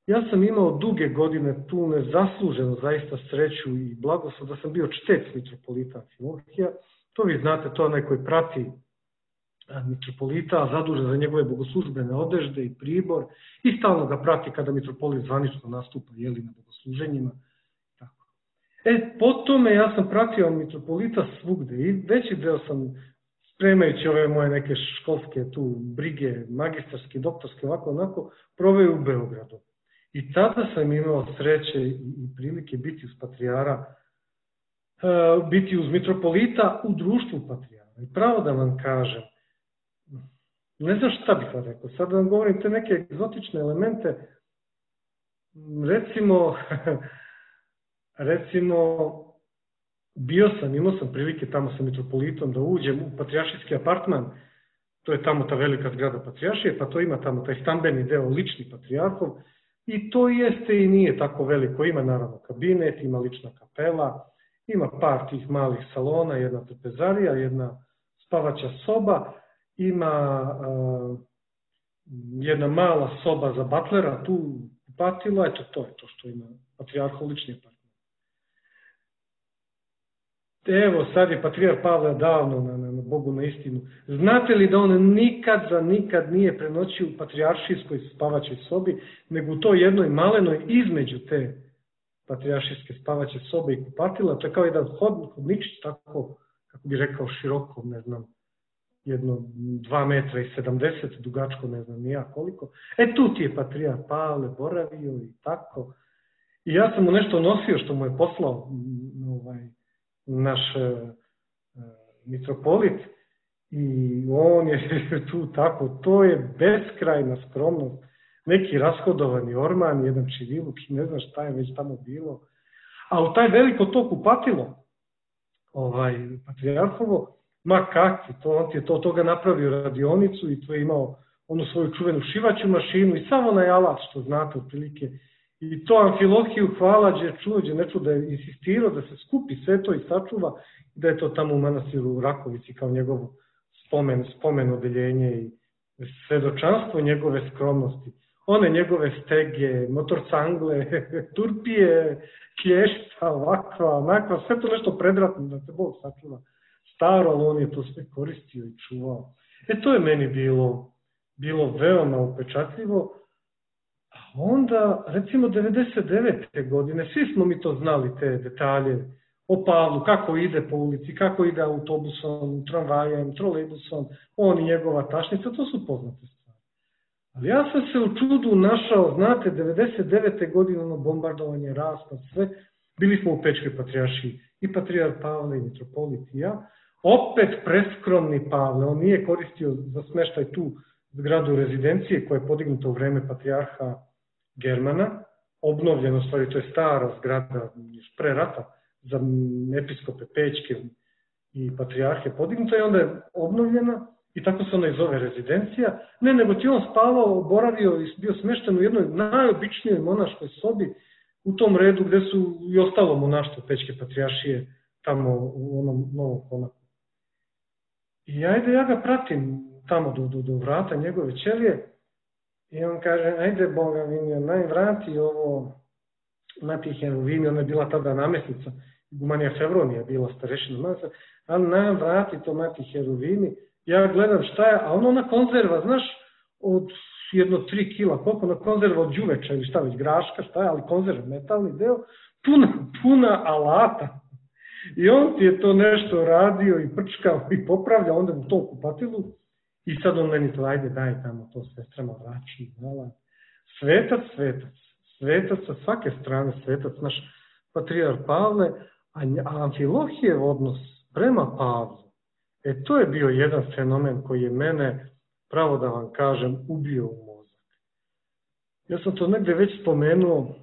Ja sam imao duge godine tu nezasluženu zaista sreću i blagoslov da sam bio čtec mitropolita Amfilohija. To vi znate, to je onaj koji prati mitropolita, zadužen za njegove bogoslužbene odežde i pribor i stalno ga prati kada mitropolit zvanično nastupa na bogosluženjima. Po tome ja sam pratio mitropolita svugde i veći deo sam, spremajući ove moje neke školske tu brige, magistarske, doktorske, ovako onako, proveo u Beogradu. I tada sam imao sreće i prilike biti uz patrijara, biti uz mitropolita u društvu patrijara. I pravo da vam kažem, ne znam šta bih vam rekao, sad da vam govorim te neke egzotične elemente, recimo, imao sam prilike tamo sa mitropolitom da uđem u patrijaršijski apartman, to je tamo ta velika zgrada patrijaršije, pa to ima tamo taj stambeni deo lični patrijarhov, i to jeste i nije tako veliko, ima naravno kabinet, ima lična kapela, ima par tih malih salona, jedna trpezarija, jedna spavaća soba, ima jedna mala soba za batlera, tu kupatilo, eto to je to što ima patrijarhov lični apartman. Evo, sad je patrijar Pavle davno, na Bogu na istinu. Znate li da on nikad nije prenoćio u patrijaršijskoj spavaćoj sobi, nego u toj jednoj malenoj između te patrijaršijske spavaće sobe i kupatila, to je kao jedan hodničić, tako, kako bi rekao, široko, ne znam, jedno 2,70 m, dugačko, ne znam nija koliko. Tu ti je patrijar Pavle boravio i tako. I ja sam mu nešto nosio što mu je poslao naš mitropolit i on je tu tako, to je beskrajna skromnost, neki rashodovani orman, jedan čiviluk i ne znam šta je već tamo bilo, a u taj veliko to kupatilo patrijarhovo, ma kakvi, on ti je toga napravio radionicu i to je imao onu svoju čuvenu šivaću mašinu i samo onaj alat što znate otprilike. I to Amfilohiju hvala, ne čuo da je insistirao da se skupi sve to i sačuva, da je to tamo u manastiru u Rakovici kao njegovo spomen odeljenje i svedočanstvo njegove skromnosti. One njegove stege, motorcangle, turpije, klješta, ovakva, onakva, sve to nešto predratno da se Bog sačuva. staro, ali on je to sve koristio i čuvao. To je meni bilo veoma upečatljivo. A onda, recimo 99. godine, svi smo mi to znali, te detalje o Pavlu, kako ide po ulici, kako ide autobusom, tramvajem, trolejbusom, on i njegova tašnica, to su poznate stvari. Ali ja sam se u čudu našao, znate, 99. godine ono bombardovanje, raspad, sve, bili smo u Pečkoj patrijaršiji, i patrijar Pavle, i mitropolit i ja, opet preskromni Pavle, on nije koristio za smeštaj tu zgradu rezidencije koja je podignuta u vreme patrijarha Germana, obnovljena, u stvari to je stara zgrada još pre rata za episkope Pećke i patrijarhe podignuta i onda je obnovljena i tako se ona i zove rezidencija. Ne, nego ti on spavao, boravio i bio smešten u jednoj najobičnijoj monaškoj sobi u tom redu gde su i ostalo monaštvo Pećke patrijaršije tamo u onom Novom Konaku. I ajde, ja ga pratim tamo do vrata njegove ćelije i on kaže, ajde Boga mi, naj vrati ovo Mati Heruvimi, ona je bila tada namestnica, Igumanija Fevronija je bila starešina masa, ali nam vrati to Mati Heruvimi, ja gledam šta je, a ona konzerva, znaš, od jedno 3 kila, koliko ona konzerva od đuveča ili šta već, graška, šta je, ali konzerva, metalni deo, puna alata. I on ti je to nešto radio i prčkao i popravljao onda u tom kupatilu i sad on meni to, ajde daj tamo to sestrama vraći. Svetac sa svake strane, svetac naš patrijar Pavle, a Amfilohijev odnos prema Pavlu, to je bio jedan fenomen koji je mene, pravo da vam kažem, ubio u mozak. Ja sam to negde već spomenuo,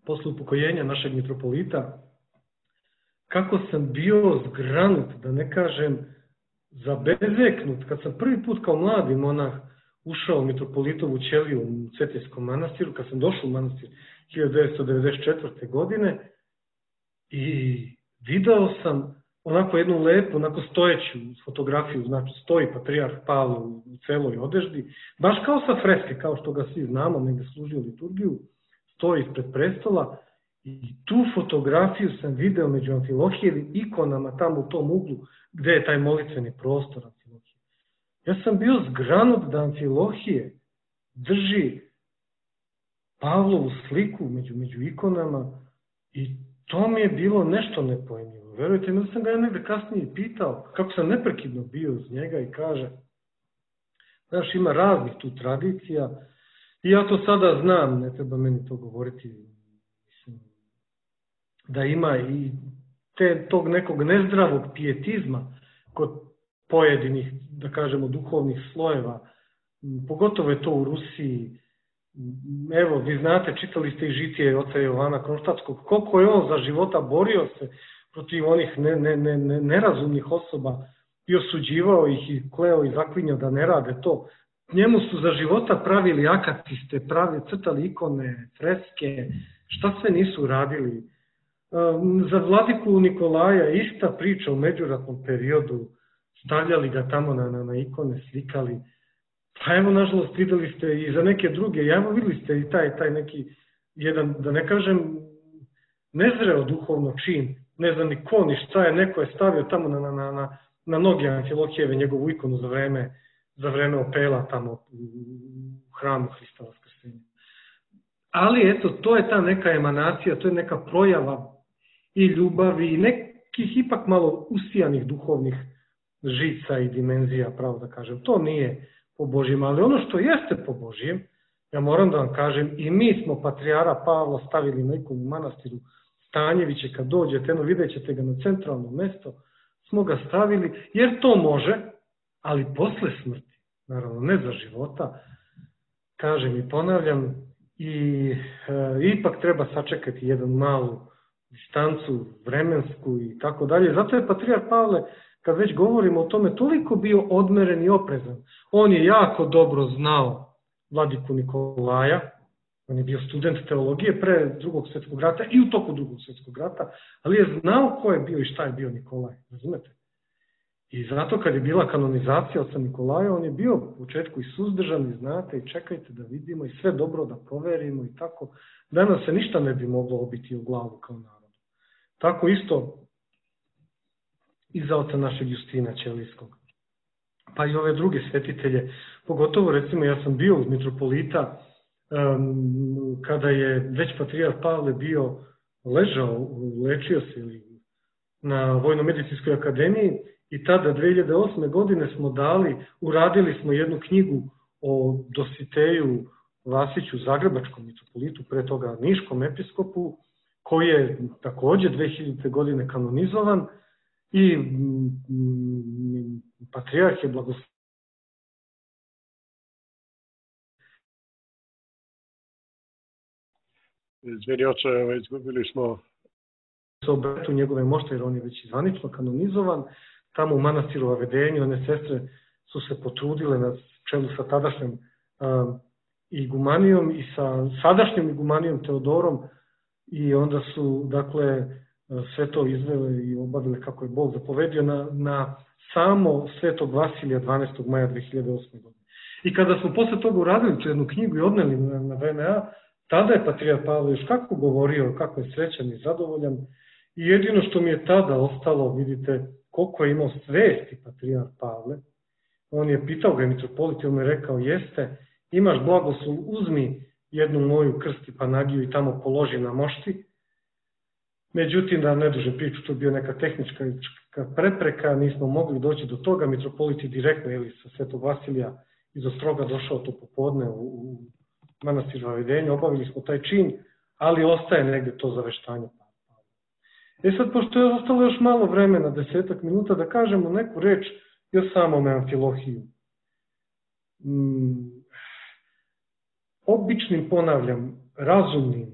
posle upokojenja našeg mitropolita, kako sam bio zgranut, da ne kažem zabezeknut, kad sam prvi put kao mladi monah ušao u mitropolitovu ćeliju u Cetinjskom manastiru, kad sam došao u manastir 1994. godine i video sam onako jednu lepu, onako stojeću fotografiju, znači stoji patrijarh Pavle u celoj odeždi, baš kao sa freske, kao što ga svi znamo, negde služio liturgiju, stoji ispred prestola i tu fotografiju sam video među Amfilohijevim ikonama tamo u tom uglu gde je taj molitveni prostor Amfilohije. Ja sam bio zgranut da Amfilohije drži Pavlovu sliku među ikonama i to mi je bilo nešto nepojmljivo. Verujte mi da sam ga ja negde kasnije pitao kako sam neprekidno bio uz njega i kaže, znaš, ima raznih tu tradicija i ja to sada znam, ne treba meni to govoriti, mislim, da ima i tog nekog nezdravog pijetizma kod pojedinih, da kažemo, duhovnih slojeva, pogotovo je to u Rusiji. Evo, vi znate, čitali ste i žitije oca Jovana Kronštatskog, koliko je on za života borio se protiv onih nerazumnih osoba i osuđivao ih i kleo i zaklinjao da ne rade to. Njemu su za života pravili akatiste, crtali ikone, freske, šta sve nisu radili. Za vladiku Nikolaja ista priča u međuratnom periodu, stavljali ga tamo na ikone, slikali. Pa evo, nažalost, videli ste i za neke druge, evo videli ste i taj neki jedan, da ne kažem, nezreo duhovno čin, ne znam ni ko, ni šta je, neko je stavio tamo na noge Amfilohijeve njegovu ikonu za vreme opela tamo u hramu Hrista Vaskrsenja. Ali eto, to je ta neka emanacija, to je neka projava i ljubavi i nekih ipak malo usijanih duhovnih žica i dimenzija, pravo da kažem. To nije po Božjem, ali ono što jeste po Božjem, ja moram da vam kažem, i mi smo patrijara Pavla stavili na ikonu u manastiru Stanjeviće, kad dođete, vidjet ćete ga na centralno mesto, smo ga stavili, jer to može, ali posle smrti, naravno ne za života, kažem i ponavljam, i ipak treba sačekati jednu malu distancu vremensku i tako dalje. Zato je patrijar Pavle, kad već govorimo o tome, toliko bio odmeren i oprezan. On je jako dobro znao vladiku Nikolaja, on je bio student teologije pre Drugog svjetskog rata i u toku Drugog svjetskog rata, ali je znao ko je bio i šta je bio Nikolaj, razumete? I zato kad je bila kanonizacija oca Nikolaja, on je bio u početku i suzdržan, i znate, i čekajte da vidimo, i sve dobro da proverimo i tako. Danas se ništa ne bi moglo obiti u glavu kao narodu. Tako isto i za oca našeg Justina Ćelijskog. Pa i ove druge svetitelje, pogotovo recimo ja sam bio uz mitropolita kada je već patrijarh Pavle bio ležao, lečio se na Vojno-medicinskoj akademiji i tada 2008. godine smo uradili smo jednu knjigu o Dositeju Vasiću, zagrebačkom mitropolitu, pre toga niškom episkopu, koji je takođe 2000. godine kanonizovan i patrijarh je blagoslovio. Izvini oče, izgubili smo se obretu njegove mošte, jer on je već zvanično kanonizovan. Tamo u manastiru Avedenju one sestre su se potrudile na čelu sa tadašnjom igumanijom i sa sadašnjom igumanijom Teodorom i onda su, dakle, sve to izvele i obavile kako je Bog zapovedio na samo Svetog Vasilija 12. maja 2008. godine. I kada smo posle toga uradili tu jednu knjigu i odneli na VMA, tada je patrijarh Pavle još kako govorio, kako je srećan i zadovoljan. I jedino što mi je tada ostalo, vidite, koliko je imao svesti patrijarh Pavle, on je pitao ga mitropolit i on mu je rekao, jeste, imaš blagoslov, uzmi jednu moju krst i panagiju i tamo položi na mošti. Međutim, da ne dužem priču, to je bio neka tehnička prepreka, nismo mogli doći do toga, mitropolit je direktno sa Svetog Vasilija iz Ostroga došao to popodne u manastiru Avedenju, obavili smo taj čin, ali ostaje negde to zaveštanje. Sad, pošto je ostalo još malo vremena, 10 minuta, da kažemo neku reč još samome Amfilohiju. Običnim, ponavljam, razumnim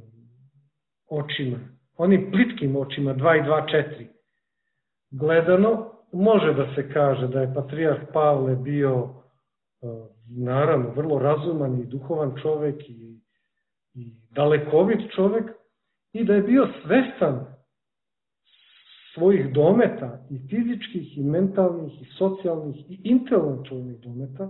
očima, onim plitkim očima, 2 i 2, 4, gledano, može da se kaže da je patrijarh Pavle bio, naravno, vrlo razuman i duhovan čovek i dalekovit čovek i da je bio svestan svojih dometa i fizičkih i mentalnih i socijalnih i intelektualnih dometa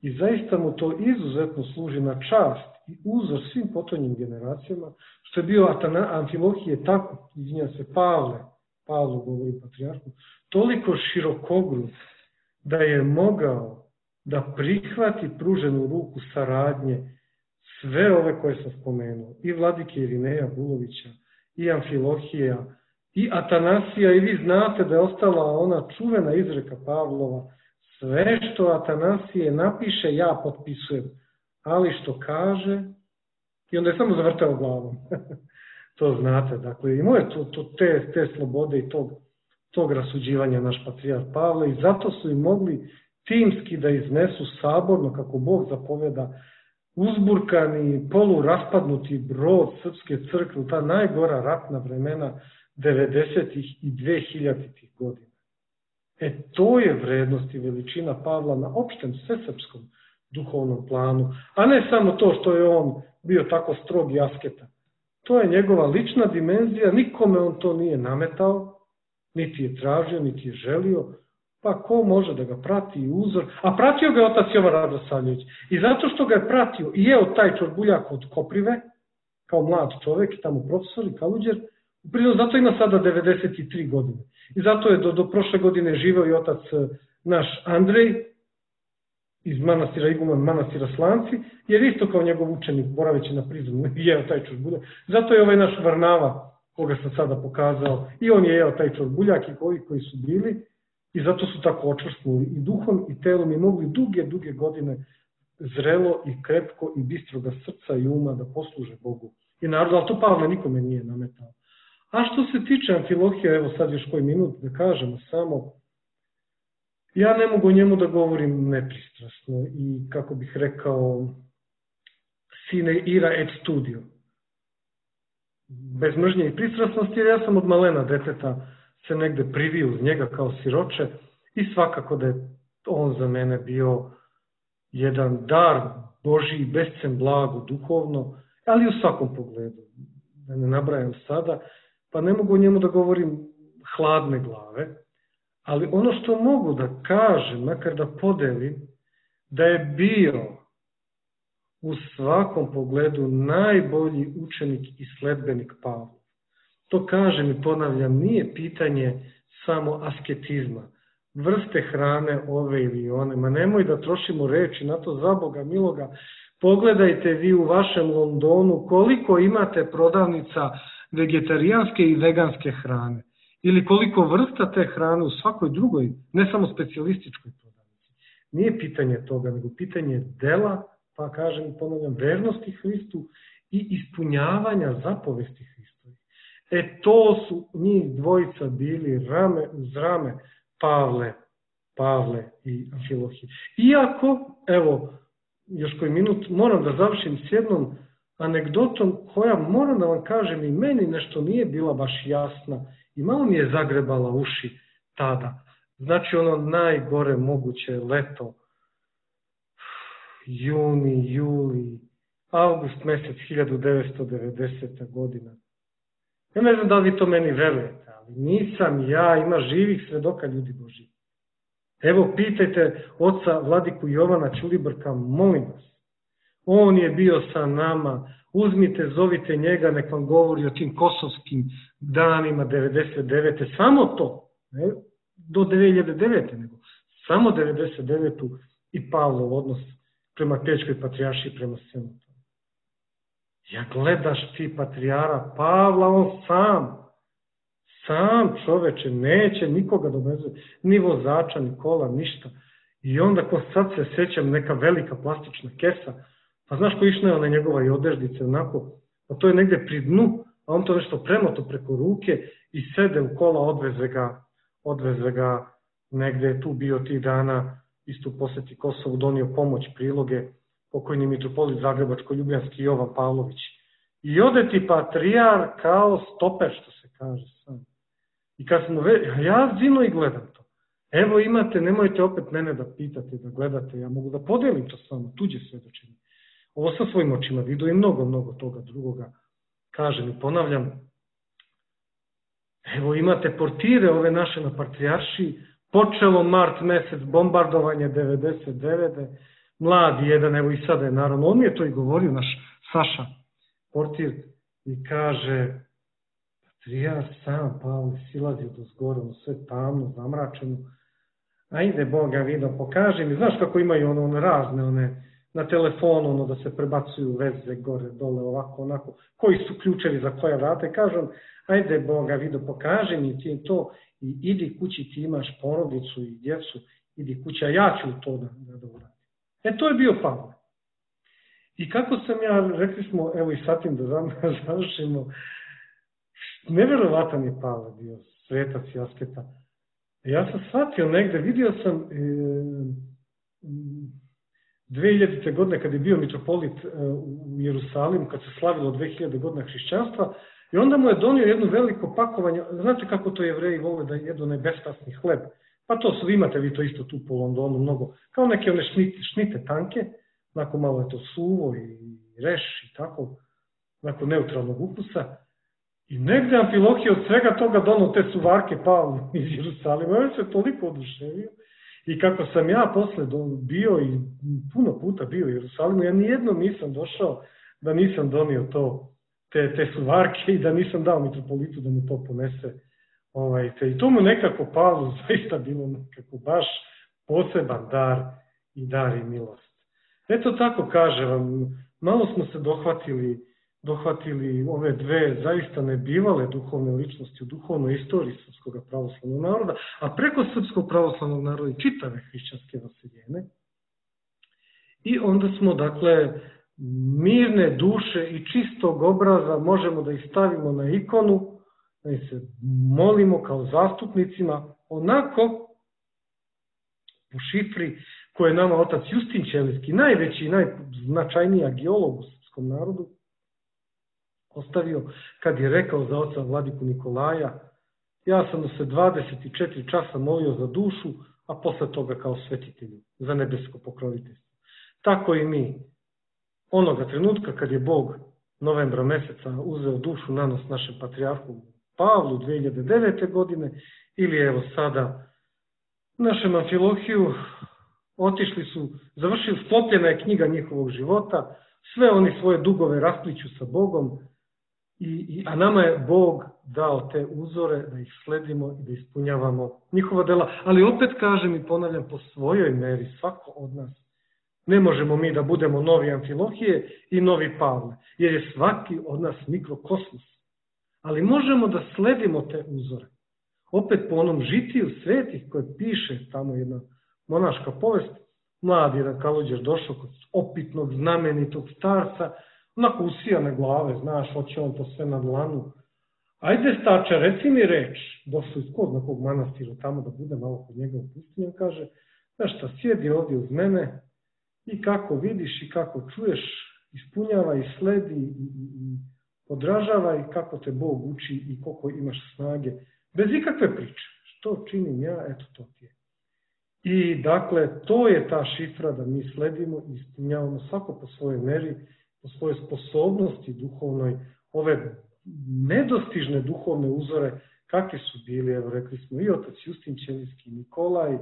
i zaista mu to izuzetno služi na čast i uzor svim potonjim generacijama, što je bio Amfilohije tako, izvinja se, Pavlo govori patrijarhu, toliko širokogrud da je mogao da prihvati pruženu ruku saradnje sve ove koje sam spomenuo, i vladike Irineja Bulovića, i Amfilohija, i Atanasija, i vi znate da je ostala ona čuvena izreka Pavlova, sve što Atanasije napiše ja potpisujem, ali što kaže, i onda je samo zavrtao glavom. To znate, dakle, imao je te slobode i tog rasuđivanja naš patrijarh Pavle i zato su i mogli timski da iznesu saborno, kako Bog zapoveda, uzburkani, poluraspadnuti brod srpske crkve u ta najgora ratna vremena 90. i 2000. godina. To je vrednost i veličina Pavla na opštem svesrpskom duhovnom planu, a ne samo to što je on bio tako strog i asketa. To je njegova lična dimenzija, nikome on to nije nametao, niti je tražio, niti je želio, pa ko može da ga prati i uzor, a pratio ga je otac Jovan Radosavljević. I zato što ga je pratio i jeo taj čorbuljak od Koprive, kao mlad čovek, tamo profesor i kaluđer, zato ima sada 93 godine. I zato je do prošle godine živeo i otac naš Andrej iz manastira Iguman, manastira Slanci, jer isto kao njegov učenik, boraveći na Prizmu, jeo taj čorbuljak. Zato je ovaj naš Varnava, koga sam sada pokazao, i on je jeo taj čorbuljak i koji su bili, i zato su tako očvrsnuli i duhom i telom i mogli duge godine zrelo i krepko i bistroga srca i uma da posluže Bogu i narodu, ali to Pavle nikome nije nametao. A što se tiče Amfilohija, evo sad još koji minut da kažemo samo, ja ne mogu o njemu da govorim nepristrasno i, kako bih rekao, sine ira et studio. Bez mržnje i pristrasnosti, jer ja sam od malena deteta se negde privio uz njega kao siroče i svakako da je on za mene bio jedan dar Božiji, bescen blago, duhovno, ali u svakom pogledu, da ne nabrajam sada, pa ne mogu o njemu da govorim hladne glave, Ali ono što mogu da kažem, makar da podelim, da je bio u svakom pogledu najbolji učenik i sledbenik Pavla. To kažem i ponavljam, nije pitanje samo asketizma, vrste hrane ove ili one, ma nemoj da trošimo reči na to, za Boga miloga. Pogledajte vi u vašem Londonu koliko imate prodavnica vegetarijanske i veganske hrane. Ili koliko vrsta te hrane u svakoj drugoj, ne samo specijalističkoj prodavnici. Nije pitanje toga, nego pitanje dela, pa kažem i ponavljam, vernosti Hristu i ispunjavanja zapovesti Hristovi. To su njih dvojica bili rame uz rame, Pavle i Amfilohije. Iako, evo, još koji minut, moram da završim s jednom anegdotom koja, moram da vam kažem, i meni nešto nije bila baš jasna i malo mi je zagrebala uši tada. Znači ono najgore moguće leto, juni, juli, avgust mesec 1990. godina. Ja ne znam da li vi to meni verujete, ali nisam ja, ima živih svedoka, ljudi Božji. Evo, pitajte oca Vladiku Jovana Ćulibrka, molim vas. On je bio sa nama, uzmite, zovite njega, nek vam govori o tim kosovskim danima 99. Samo to, ne do 2009. nego samo 99. i Pavlov odnos prema Pećkoj patrijaršiji, prema svemu tome. Ja gledaš ti patrijara Pavla, on sam čoveče, neće nikoga dovezati, ni vozača, ni kola, ništa. I onda ko sad se sećam, neka velika plastična kesa, pa znaš ko išla je ona njegova i odeždice, onako, a to je negde pri dnu, a on to nešto premoto preko ruke i sede u kola, odveze ga negde je tu bio tih dana, isto u poseti Kosovu, donio pomoć, priloge, pokojni mitropolit Zagrebačko-Ljubljanski Jovan Pavlović. I ode ti patrijar kao stoper, što se kaže sam. I kad smo ja zino i gledam to. Evo imate, nemojte opet mene da pitate, da gledate, ja mogu da podelim to s vama, tuđe svedočenje. Ovo sam svojim očima vidio i mnogo toga drugoga. Kažem i ponavljam, evo imate portire ove naše na patrijaršiji, počelo mart mesec, bombardovanje 99. Mladi jedan, evo i sada je naravno, on mi je to i govorio, naš Saša, portir, i kaže, patrijar sam, Pavle, silazi do zgore, sve tamno, zamračeno, ajde Boga vidio, pokaži mi, znaš kako imaju one razne, one na telefonu, ono da se prebacuju veze gore, dole, ovako, onako, koji su ključevi za koje vrata, i kažem, ajde Boga vidio, pokaži mi ti to i idi kući, ti imaš porodicu i djecu, idi kući, a ja ću to da uradim. To je bio Pavle. I kako sam ja, rekli smo, evo i sad tim da završimo, neverovatan je Pavle bio, svetac i asketa. Ja sam shvatio negde, vidio sam 2000. godine kad je bio mitropolit u Jerusalimu, kad se slavilo 2000 godina hrišćanstva, i onda mu je donio jedno veliko pakovanje, znate kako to Jevreji vole da jedu onaj bespasni hleb, pa to su, imate vi to isto tu po Londonu mnogo, kao neke one šnite tanke, onako malo je to suvo i reš i tako, onako neutralnog ukusa. I negde Amfilohije od svega toga donao te suvarke Pavlu iz Jerusalima. Ja se toliko oduševio. I kako sam ja posle bio i puno puta bio u Jerusalimu, ja nijednom nisam došao da nisam donio te suvarke i da nisam dao mitropolitu da mu to ponese. I to mu nekako Pavlu zaista bilo nekako baš poseban dar i milost. Eto tako kaže vam, malo smo se dohvatili ove dve zaista nebivale duhovne ličnosti u duhovnoj istoriji srpskog pravoslavnog naroda, a preko srpskog pravoslavnog naroda i čitave hrišćanske vaseljene. I onda smo, dakle, mirne duše i čistog obraza možemo da ih stavimo na ikonu, da ih se molimo kao zastupnicima, onako po šifri koje je nama otac Justin Ćelijski, najveći i najznačajniji agiolog u srpskom narodu, ostavio kad je rekao za oca Vladiku Nikolaja, ja sam se 24 časa molio za dušu, a posle toga kao svetitelju za nebesko pokroviteljstvo. Tako i mi, onoga trenutka kad je Bog novembra meseca uzeo dušu na nos našem patrijarhu Pavlu 2009. godine, ili evo sada našem Amfilohiju, otišli su, završili, sklopljena je knjiga njihovog života, sve oni svoje dugove raspliću sa Bogom, a nama je Bog dao te uzore da ih sledimo i da ispunjavamo njihova dela. Ali opet kažem i ponavljam, po svojoj meri, svako od nas. Ne možemo mi da budemo novi Amfilohije i novi Pavle, jer je svaki od nas mikrokosmos. Ali možemo da sledimo te uzore. Opet po onom žitiju svetih koje piše tamo jedna monaška povest, mladi jedan Kalođer došao kod opitnog, znamenitog starca, onako usijane glave, znaš, hoće on to sve na dlanu. Ajde, starče, reci mi reč. Došao iz kod nekog manastira tamo da bude malo kod njega u pustinju, kaže, znaš šta, sjedi ovdje uz mene i kako vidiš i kako čuješ, ispunjava i sledi i podražava i kako te Bog uči i koliko imaš snage. Bez ikakve priče. Što činim ja, eto to ti je. I dakle, to je ta šifra da mi sledimo i ispunjavamo svako po svojoj meri, po svojoj sposobnosti duhovnoj, ove nedostižne duhovne uzore, kakvi su bili, evo rekli smo, i otac Justin Ćelijski, Nikolaj,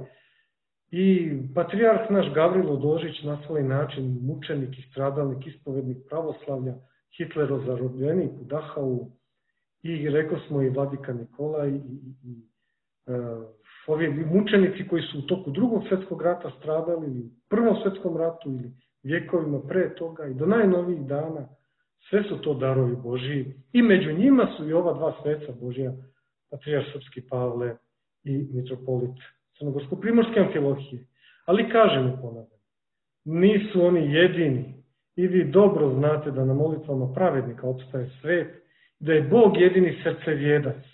i patrijarh naš Gavrilo Dožić na svoj način, mučenik i stradalnik, ispovednik pravoslavlja, Hitlerov zarobljenik u Dachau, i rekao smo i vladika Nikolaj, i ovi mučenici koji su u toku Drugog svjetskog rata stradali, ili u Prvom svjetskom ratu, ili vjekovima pre toga, i do najnovijih dana, sve su to darovi Božiji. I među njima su i ova dva sveca Božja, patrijarh srpski Pavle i mitropolit Crnogorsko-primorske Amfilohije. Ali kažem i ponavljam, nisu oni jedini. I vi dobro znate da na molitvama pravednika opstaje svet, da je Bog jedini srcevjedac.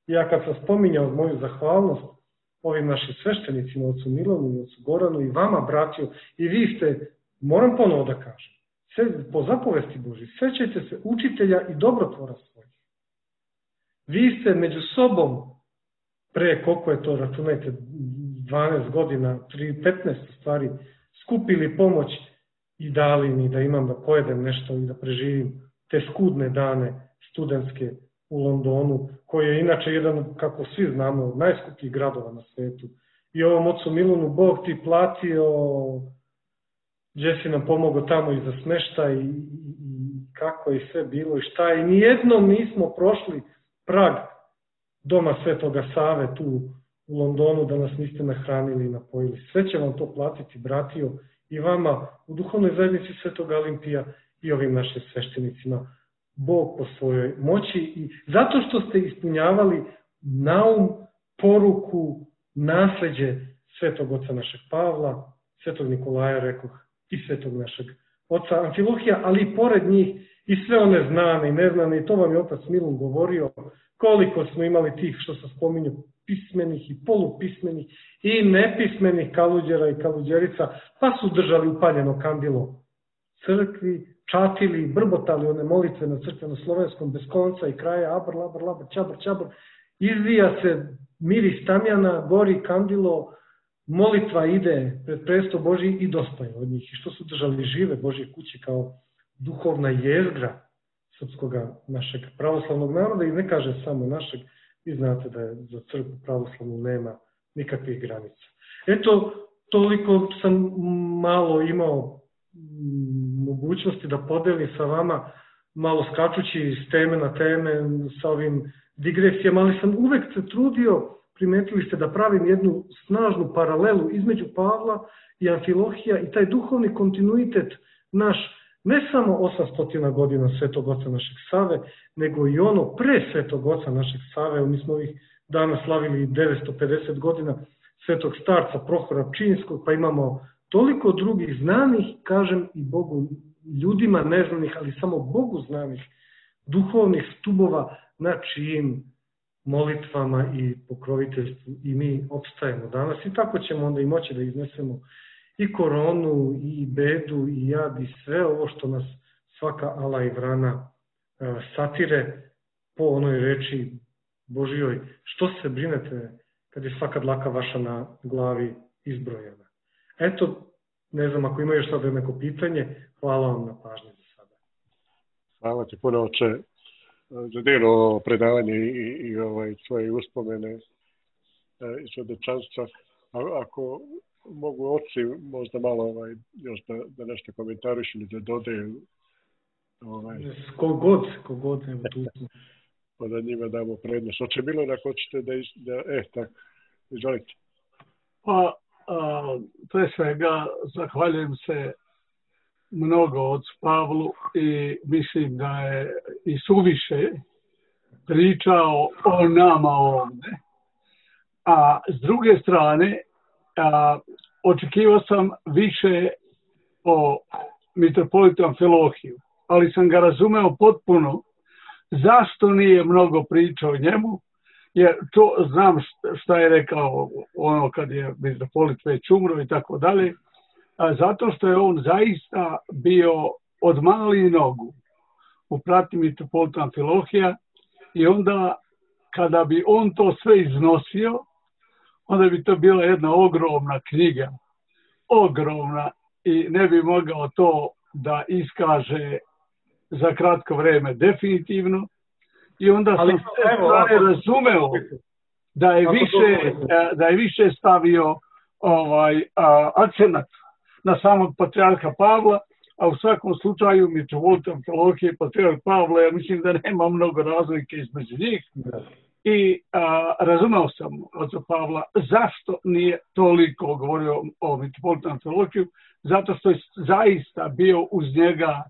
Ja kad sam spominjao moju zahvalnost ovim našim sveštenicima, ocu Milanu, ocu Goranu i vama, bratio, i vi ste, moram ponovo da kažem, po zapovesti Božji, sećajte se učitelja i dobrotvora svojih. Vi ste među sobom, pre koliko je to, računajte, 12 godina, 15 stvari, skupili pomoć i dali mi da imam da pojedem nešto i da preživim te skudne dane studentske u Londonu, koji je inače jedan, kako svi znamo, od najskupljih gradova na svetu. I ovom ocu Milunu Bog ti platio, gdje si nam pomogao tamo i za smeštaj i kako je sve bilo i šta. I nijednom nismo prošli prag doma Svetoga Save tu u Londonu da nas niste nahranili i napojili. Sve će vam to platiti, bratio, i vama u duhovnoj zajednici Svetog Olimpija i ovim našim sveštenicima. Bog po svojoj moći i zato što ste ispunjavali naum, poruku, nasleđe Svetog oca našeg Pavla, Svetog Nikolaja, rekoh, i Svetog našeg oca Amfilohija, ali i pored njih i sve one znane i neznane, i to vam je otac Milun govorio, koliko smo imali tih, što se spominju, pismenih i polupismenih i nepismenih kaluđera i kaluđerica, pa su držali upaljeno kandilo crkvi, čatili, brbotali one molitve na crkveno-slovenskom bez konca i kraja, abr, labr, labr, čabr, čabr, izvija se miris tamjana, gori kandilo, molitva ide pred presto Božji i dosta je od njih. I što su držali žive Božje kuće kao duhovna jezgra srpskog našeg pravoslavnog naroda, i ne kaže samo našeg, vi znate da je za crkvu pravoslavnu nema nikakvih granica. Eto, toliko sam malo imao mogućnosti da podelim sa vama, malo skačući s teme na teme, sa ovim digresijama, ali sam uvek se trudio, primetili ste, da pravim jednu snažnu paralelu između Pavla i Amfilohija i taj duhovni kontinuitet naš, ne samo 800 godina Svetog oca našeg Save, nego i ono pre Svetog oca našeg Save. Mi smo ovih dana slavili 950 godina Svetog starca Prohora Pčinjskog, pa imamo toliko drugih znanih, kažem, i Bogu, ljudima neznanih, ali samo Bogu znanih, duhovnih stubova na čijim molitvama i pokroviteljstvu i mi opstajemo danas. I tako ćemo onda i moći da iznesemo i koronu, i bedu, i jad, i sve ovo što nas svaka ala i vrana satire po onoj reči Božijoj. Što se brinete kad je svaka dlaka vaša na glavi izbrojena? Eto, ne znam, ako ima još sada neko pitanje, hvala vam na pažnji za sada. Hvala ti puno, oče, za dijelo predavanje i svoje uspomene iz svjedočanstva. Ako mogu oci možda malo još da nešto komentariš ili da dodaju. Kogod, evo tu smo. Pa da njima damo prednost. Oče Milorad, ako hoćete tako, izvolite. Pa, pre svega, zahvaljujem se mnogo ocu Pavlu i mislim da je i suviše pričao o nama ovde. A s druge strane, očekivao sam više o mitropolitu Amfilohiju, ali sam ga razumeo potpuno zašto nije mnogo pričao o njemu, jer to znam šta je rekao ono kad je mitropolit već umro i tako dalje, zato što je on zaista bio od malih nogu u pratnji mitropolita Amfilohija i onda kada bi on to sve iznosio, onda bi to bila jedna ogromna knjiga, ogromna, i ne bi mogao to da iskaže za kratko vreme definitivno. I onda sam sve razumeo da je više stavio akcenat na samog patrijarha Pavla, a u svakom slučaju mitropolit Amfilohije i patrijarh Pavla, ja mislim da nema mnogo razlike između njih. I razumeo sam oca Pavla zašto nije toliko govorio o mitropolitu Amfilohiju, zato što je zaista bio uz njega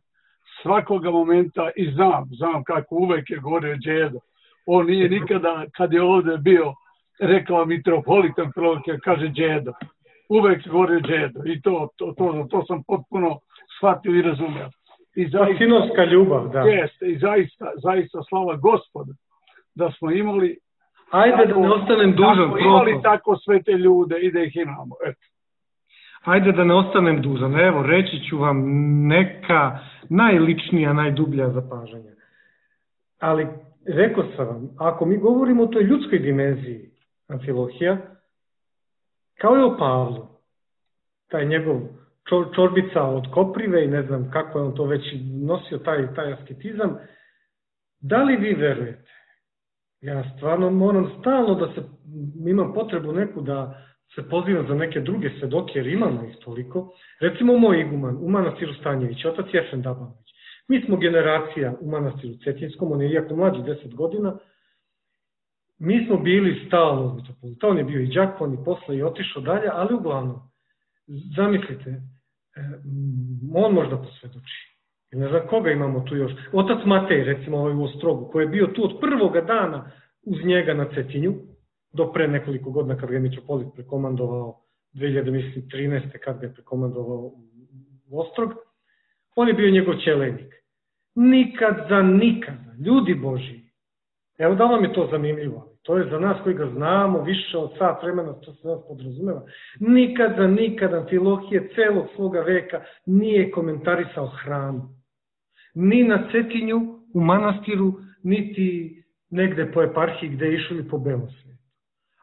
svakoga momenta i znam kako uvek je govorio djedo. On nije nikada, kad je ovdje bio, rekao mitropolit Amfilohije, kaže djedo. Uvek govorio djedo. I to sam potpuno shvatio i razumeo. Sinovska ljubav, da. Jeste, i zaista slava Gospoda da smo imali da ne ostanem dužan. Imali tako sve te ljude i da ih imamo. Eto. Ajde da ne ostanem dužan. Evo, reći ću vam neka najličnija, najdublja zapažanja. Ali, rekao sam vam, ako mi govorimo o toj ljudskoj dimenziji Amfilohija, kao i o Pavlu, taj njegov čorbica od koprive i ne znam kako je on to već nosio, taj asketizam, da li vi verujete? Ja stvarno moram stalno da imam potrebu neku da se pozivam za neke druge svedoke, jer imamo ih toliko. Recimo moj iguman u manastiru Stanjević, otac Jefrem Dabanović. Mi smo generacija u manastiru Cetinskom, on je iako mlađi 10 godina. Mi smo bili stalno u mitropolita, on je bio i đakon i posle i otišao dalje, ali uglavnom, zamislite, on možda posvedoči. Ne znam koga imamo tu još. Otac Matej, recimo ovaj u Ostrogu, koji je bio tu od prvoga dana uz njega na Cetinju, do pre nekoliko godina kad ga je mitropolit prekomandovao, 2013. kad ga je prekomandovao u Ostrog, on je bio njegov ćelejnik. Nikad za nikada, ljudi Božji, evo da vam je to zanimljivo, to je za nas koji ga znamo više od sat vremena, što se nas podrazumeva, nikad za nikada Amfilohije celog svoga veka nije komentarisao hranu. Ni na Cetinju, u manastiru, niti negde po eparhiji gde je išao ili po belom svijetu.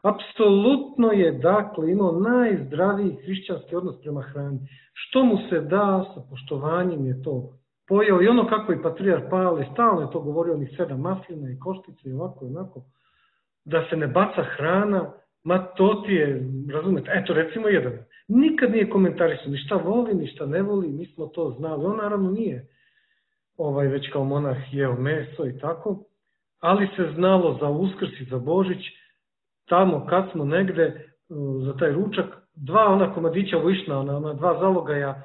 Apsolutno je, dakle, imao najzdraviji hrišćanski odnos prema hrani. Što mu se da, sa poštovanjem je to pojao. I ono kako i patrijarh Pavle, stalno je to govorio, onih 7 maslina i koštice i ovako i onako, da se ne baca hrana, ma to ti je, razumete, eto recimo jedan. Nikad nije komentarisao ni šta voli, ni šta ne voli, mi smo to znali. On naravno nije već kao monah jeo meso i tako, ali se znalo za Uskrs i za Božić, tamo kad smo negde za taj ručak, 2 ona komadića višna, ona 2 zalogaja,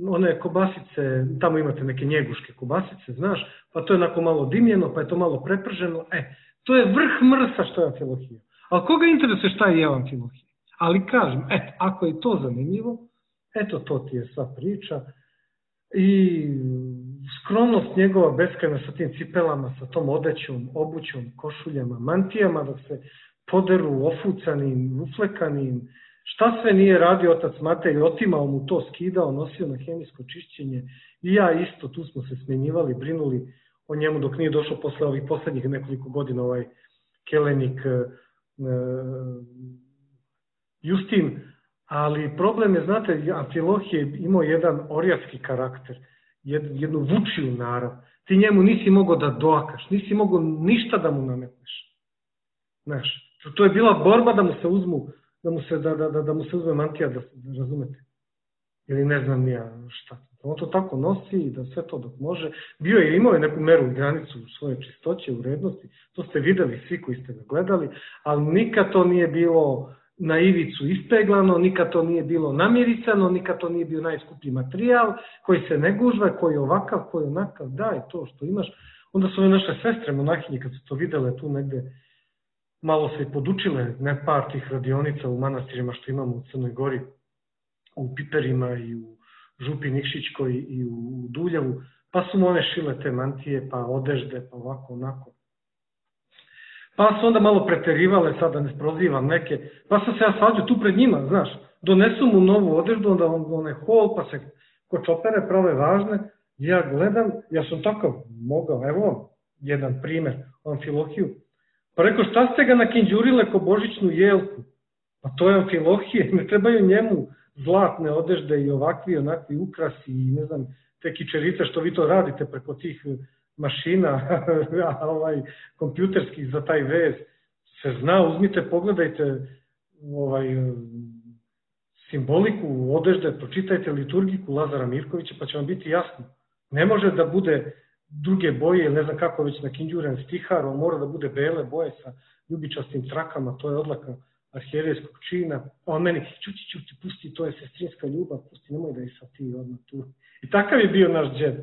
one kobasice, tamo imate neke njeguške kobasice, znaš, pa to je onako malo dimljeno, pa je to malo preprženo, to je vrh mrsa što je Amfilohija. Ali koga interesuje šta je jeo Amfilohija? Ali kažem, ako je to zanimljivo, eto to ti je sva priča i skromnost njegova beskrajna sa tim cipelama, sa tom odećom, obućom, košuljama, mantijama, dok se poderu ofucanim, uflekanim, šta sve nije radio otac Matej, otimao mu to, skidao, nosio na hemijsko čišćenje i ja isto, tu smo se smenjivali, brinuli o njemu dok nije došao posle ovih poslednjih nekoliko godina ovaj kelenik Justin, ali problem je, znate, Amfilohije imao jedan orijatski karakter, jednu vučiju narav. Ti njemu nisi mogao da doakaš, nisi mogao ništa da mu nametneš. Znaš, to je bila borba da mu se uzmu da mu se uzme mantija, da razumete. Ili ne znam ja šta. On to tako nosi i da sve to dok može. Bio je, imao je neku meru i granicu svoje čistoće, urednosti. To ste videli svi koji ste ga gledali, ali nikad to nije bilo na ivicu ispeglano, nikad to nije bilo namiricano, nikad to nije bio najskuplji materijal koji se ne gužva, koji je ovakav, koji je onakav, daj to što imaš. Onda su ove naše sestre monahinje, kad su to videle tu negde, malo se i podučile par tih radionica u manastirima što imamo u Crnoj Gori, u Piperima i u Župi Nikšićkoj i u Duljevu, pa su mu one šile te mantije, pa odežde, pa ovako, onako. Pa su onda malo preterivale, sad da ne prozivam neke, pa sam se ja svađao tu pred njima, znaš, donesu mu novu odeždu, onda on je hol, pa se ko čopere prave važne, ja gledam, ja sam takav mogao, evo jedan primer, Amfilohiju, pa rekao šta ste ga nakinđurile ko božićnu jelku, pa to je Amfilohije, ne trebaju njemu zlatne odežde i ovakvi, onakvi ukrasi i ne znam, te kičerice što vi to radite preko tih mašina kompjuterskih za taj vez, se zna, uzmite, pogledajte simboliku odežde, pročitajte liturgiku Lazara Mirkovića pa će vam biti jasno. Ne može da bude druge boje, ne znam kako već nakinđuren stihar, on mora da bude bele boje sa ljubičastim trakama, to je odlaka arhijerejskog čina, a on meni, čuti, pusti, to je sestrinska ljubav, pusti, nemoj da je sa ti odmah tu. I takav je bio naš džed.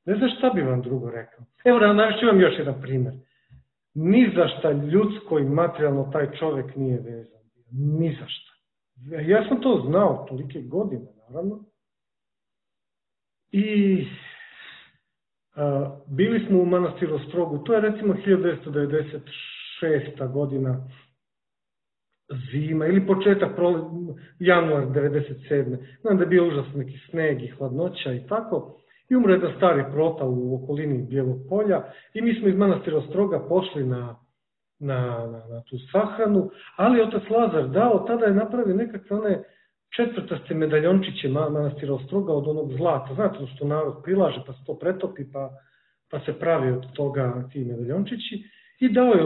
Ne znam šta bi vam drugo rekao. Evo, navešću vam još jedan primer. Ni za šta ljudsko i materijalno taj čovek nije vezan. Ni za šta. Ja sam to znao tolike godine, naravno. I bili smo u manastiru Ostrogu, to je recimo 1996. godina, zima ili početak, januar 1997. Znam da je bio užasno neki sneg i hladnoća i tako. I umre jedan stari prota u okolini Bijelog polja i mi smo iz manastira Ostroga pošli na tu sahranu, ali otac Lazar dao, tada je napravio nekakve one četvrtaste medaljončiće manastira Ostroga od onog zlata. Znate što narod prilaže pa se to pretopi pa se pravi od toga ti medaljončići i dao je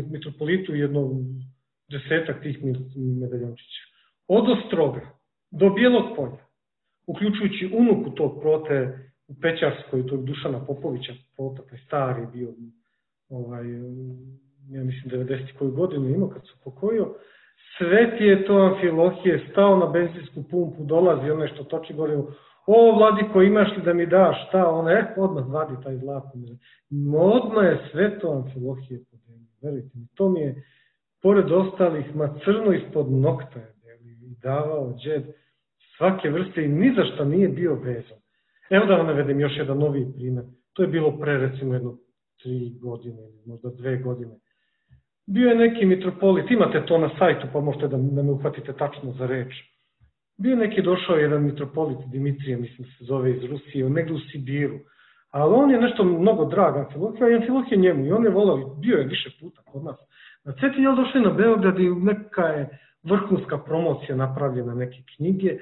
mitropolitu jedno 10 tih medaljončića. Od Ostroga do Bijelog polja, uključujući unuku tog prote u Pećarskoj, tog Dušana Popovića, prota, taj stari bio, ja mislim 90. koju godinu imao kad se pokojio, sveti je to Amfilohije, stao na benzinsku pumpu, dolazi onaj što toči gorivo, o vladiko, imaš li da mi daš, šta, odmah vadi taj zlatni. Odmah je sve to Amfilohije podelio, verujte mi, to mi je, pored ostalih, crno ispod nokta je i davao džed svake vrste i ni za šta nije bio vezan. Evo da vam navedem još jedan novi primjer. To je bilo pre recimo 3 godine, možda 2 godine. Bio je neki mitropolit, imate to na sajtu pa možete da me uhvatite tačno za reč. Bio je neki došao jedan mitropolit Dimitrije, mislim se zove iz Rusije, negde u Sibiru. Ali on je nešto mnogo drag Amfilohije, a Amfilohije njemu i on je volao, bio je više puta kod nas. Na Cetinje je došli na Beograd i neka je vrhunska promocija napravljena neke knjige,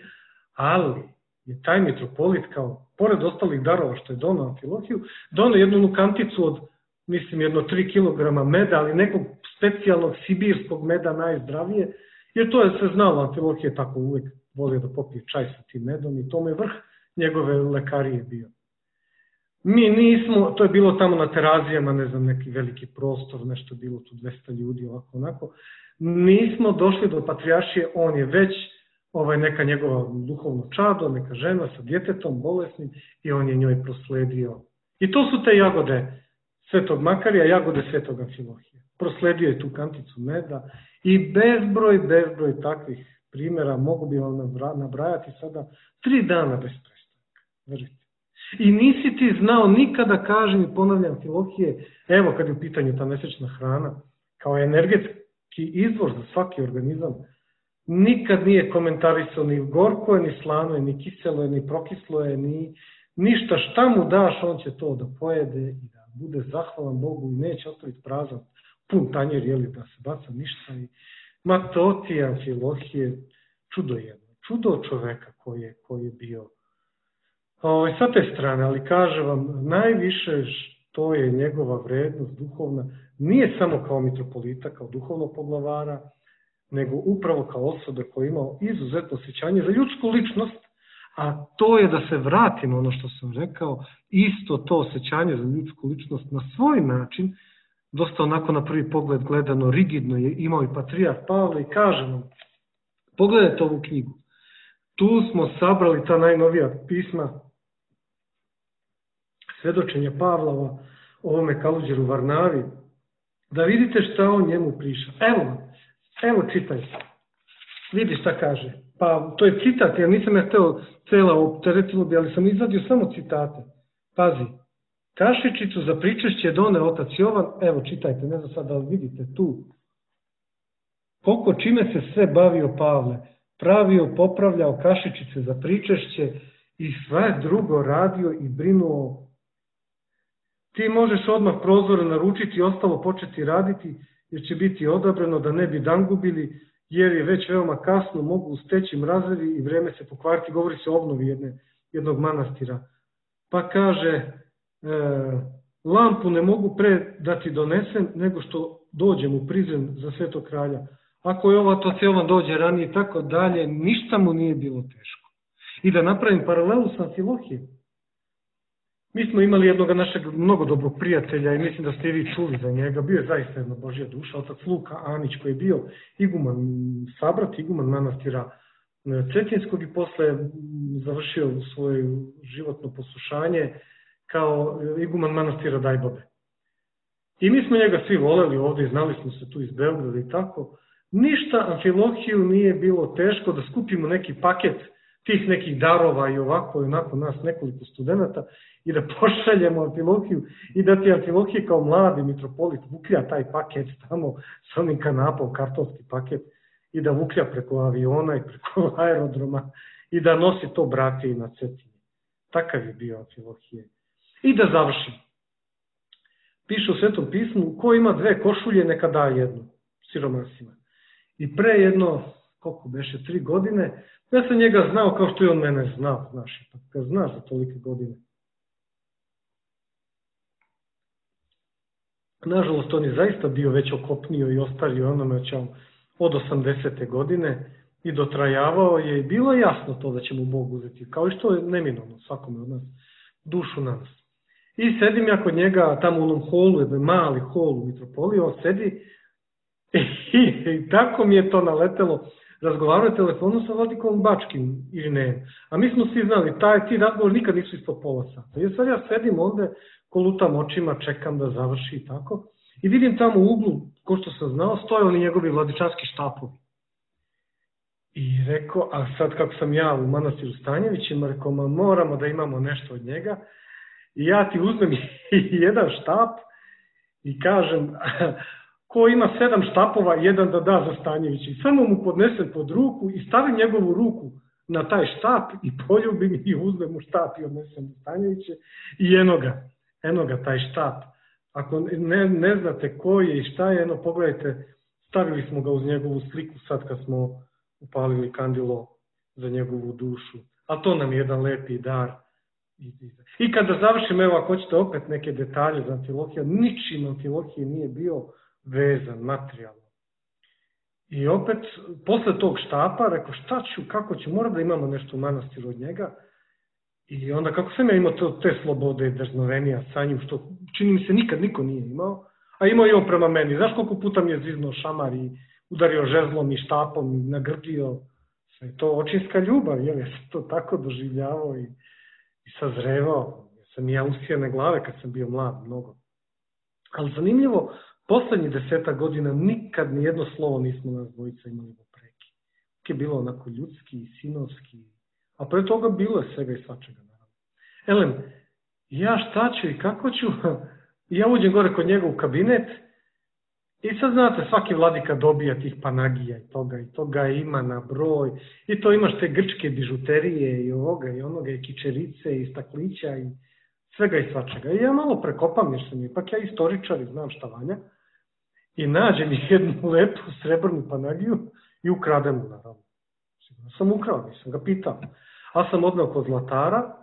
ali je taj mitropolit kao, pored ostalih darova što je donao Amfilohiju, donao jednu kanticu od, mislim, 3 kg meda, ali nekog specijalnog sibirskog meda najzdravije, jer to je se znalo, Amfilohije tako uvijek volio da popije čaj sa tim medom i to mu je vrh njegove lekarije bio. Mi nismo, to je bilo tamo na Terazijama, ne znam, neki veliki prostor, nešto je bilo tu 200 ljudi, ovako, onako. Nismo došli do patrijaršije, on je već neka njegova duhovno čado, neka žena sa djetetom, bolesnim i on je njoj prosledio. I to su te jagode Svetog Makarija, jagode Svetog Amfilohije. Prosledio je tu kanticu meda i bezbroj takvih primjera, mogu bi vam nabrajati sada 3 dana bez prestanka. Verujte. I nisi ti znao nikada, kažem i ponavljam, Amfilohije, evo kad je u pitanju ta mesečna hrana, kao energetski izvor za svaki organizam, nikad nije komentarisao ni gorko je, ni slano je, ni kiselo je, ni prokislo je, ni ništa. Šta mu daš, on će to da pojede i da bude zahvalan Bogu i neće ostaviti prazan, pun tanjer, jeli, da se baca ništa. Ma to ti je Amfilohije, čudo jedno, čudo čoveka koji je bio. Sa te strane, ali kaže vam, najviše što je njegova vrednost duhovna, nije samo kao mitropolita, kao duhovnog poglavara, nego upravo kao osobe koja je imao izuzetno osjećanje za ljudsku ličnost, a to je da se vratimo ono što sam rekao, isto to osjećanje za ljudsku ličnost na svoj način, dosta onako na prvi pogled gledano rigidno je imao i patrijarh Pavle i kaže nam, pogledajte ovu knjigu, tu smo sabrali ta najnovija pisma svedočenja Pavlova, ovome Kaluđeru Varnavi, da vidite šta on njemu priša. Evo čitajte. Vidi šta kaže. Pa to je citat, ja nisam hteo cela opteretilo bi, ali sam izvadio samo citate. Pazi. Kašičicu za pričešće done otac Jovan, evo čitajte, ne znam sad da vidite tu. Koliko čime se sve bavio Pavle, pravio, popravljao kašičice za pričešće i sve drugo radio i brinuo. Ti možeš odmah prozore naručiti i ostalo početi raditi, jer će biti odabrano da ne bi dan gubili, jer je već veoma kasno, mogu steći mrazevi i vreme se pokvariti. Govori se o obnovi jednog manastira. Pa kaže, lampu ne mogu pre da ti donesem, nego što dođem u prizren za Svetog kralja. Ako je otac Jovan dođe ranije i tako dalje, ništa mu nije bilo teško. I da napravim paralelu sa Amfilohijem. Mi smo imali jednog našeg mnogo dobrog prijatelja i mislim da ste i vi čuli za njega. Bio je zaista jedna Božja duša, otac Luka Anić, koji je bio iguman, sabrat, iguman manastira Cetinskog i posle završio svoje životno poslušanje kao iguman manastira Dajbabe. I mi smo njega svi voleli ovdje i znali smo se tu iz Beograda i tako. Ništa Amfilohiju nije bilo teško da skupimo neki paket tih nekih darova i ovako i onako nas nekoliko studenta i da pošaljemo Amfilohiju i da ti Amfilohije kao mladi mitropolit vuklja taj paket tamo sa onim kanapom, kartonski paket i da vuklja preko aviona i preko aerodroma i da nosi to bratiji na Cetinje. Takav je bio Amfilohije. I da završim. Piše u Svetom pismu, ko ima 2 košulje neka da jednu siromasima. I pre jedno, koliko beše, 3 godine, ja sam njega znao kao što je on mene znao, znaš, kad znaš za tolike godine. Nažalost, on je zaista bio već okopnio i ostario onome od 80. godine i dotrajavao je i bilo je jasno to da će mu Bog uzeti, kao i što je neminovno svakome od nas, dušu na nas. I sedim ja kod njega tamo u onom holu, jedan mali hol u mitropoliji, on sedi i tako mi je to naletelo. Razgovarao je telefonu sa vladikom Bačkim ili ne. A mi smo svi znali, ti razgovor nikad nisu ispod pola sata. I sad ja sedim onda, kolutam očima, čekam da završi i tako. I vidim tamo u uglu, ko što sam znao, stoje oni njegovi vladičanski štapovi. I rekao, a sad kako sam ja u manastiru Stanjevićima, rekao, moramo da imamo nešto od njega. I ja ti uzmem jedan štap i kažem, ko ima 7 štapova, jedan da da za Stanjevića. I samo mu podnesem pod ruku i stavim njegovu ruku na taj štap i poljubim i uzmem mu štap i odnesem Stanjeviće. I eno ga taj štap. Ako ne znate ko je i šta je, pogledajte, stavili smo ga uz njegovu sliku sad kad smo upalili kandilo za njegovu dušu. A to nam je jedan lepi dar. I kada završim, evo ako hoćete opet neke detalje za Amfilohija, ničim Amfilohije nije bio vezan, materijalno. I opet, posle tog štapa, rekao šta ću, kako ću, moram da imamo nešto u manastiru od njega. I onda kako sam ja imao te slobode i drznovenija sa njim, što čini mi se nikad niko nije imao, a imao i on prema meni. Znaš koliko puta mi je zviznuo šamar i udario žezlom i štapom i nagrdio. Sve to očinska ljubav, ja sam to tako doživljavao i sazrevao. Sam i ja usijane glave kad sam bio mlad, mnogo. Ali zanimljivo, poslednjih 10 godina nikad nijedno slovo nismo nas dvojica imali u preki. Je bilo onako ljudski, sinovski, a pre toga bilo je svega i svačega. Elem, ja šta ću i kako ću, ja uđem gore kod njega u kabinet i sad znate, svaki vladika dobija tih panagija i toga ima na broj i to imaš te grčke bižuterije i ovoga i onoga i kičerice i staklića i svega i svačega. I ja malo prekopam jer sam ipak ja istoričar i znam šta valja i nađem jednu lepu srebrnu panagiju i ukradem mu naravno. Sam ukrao, nisam ga pitao. Ali sam odneo kod zlatara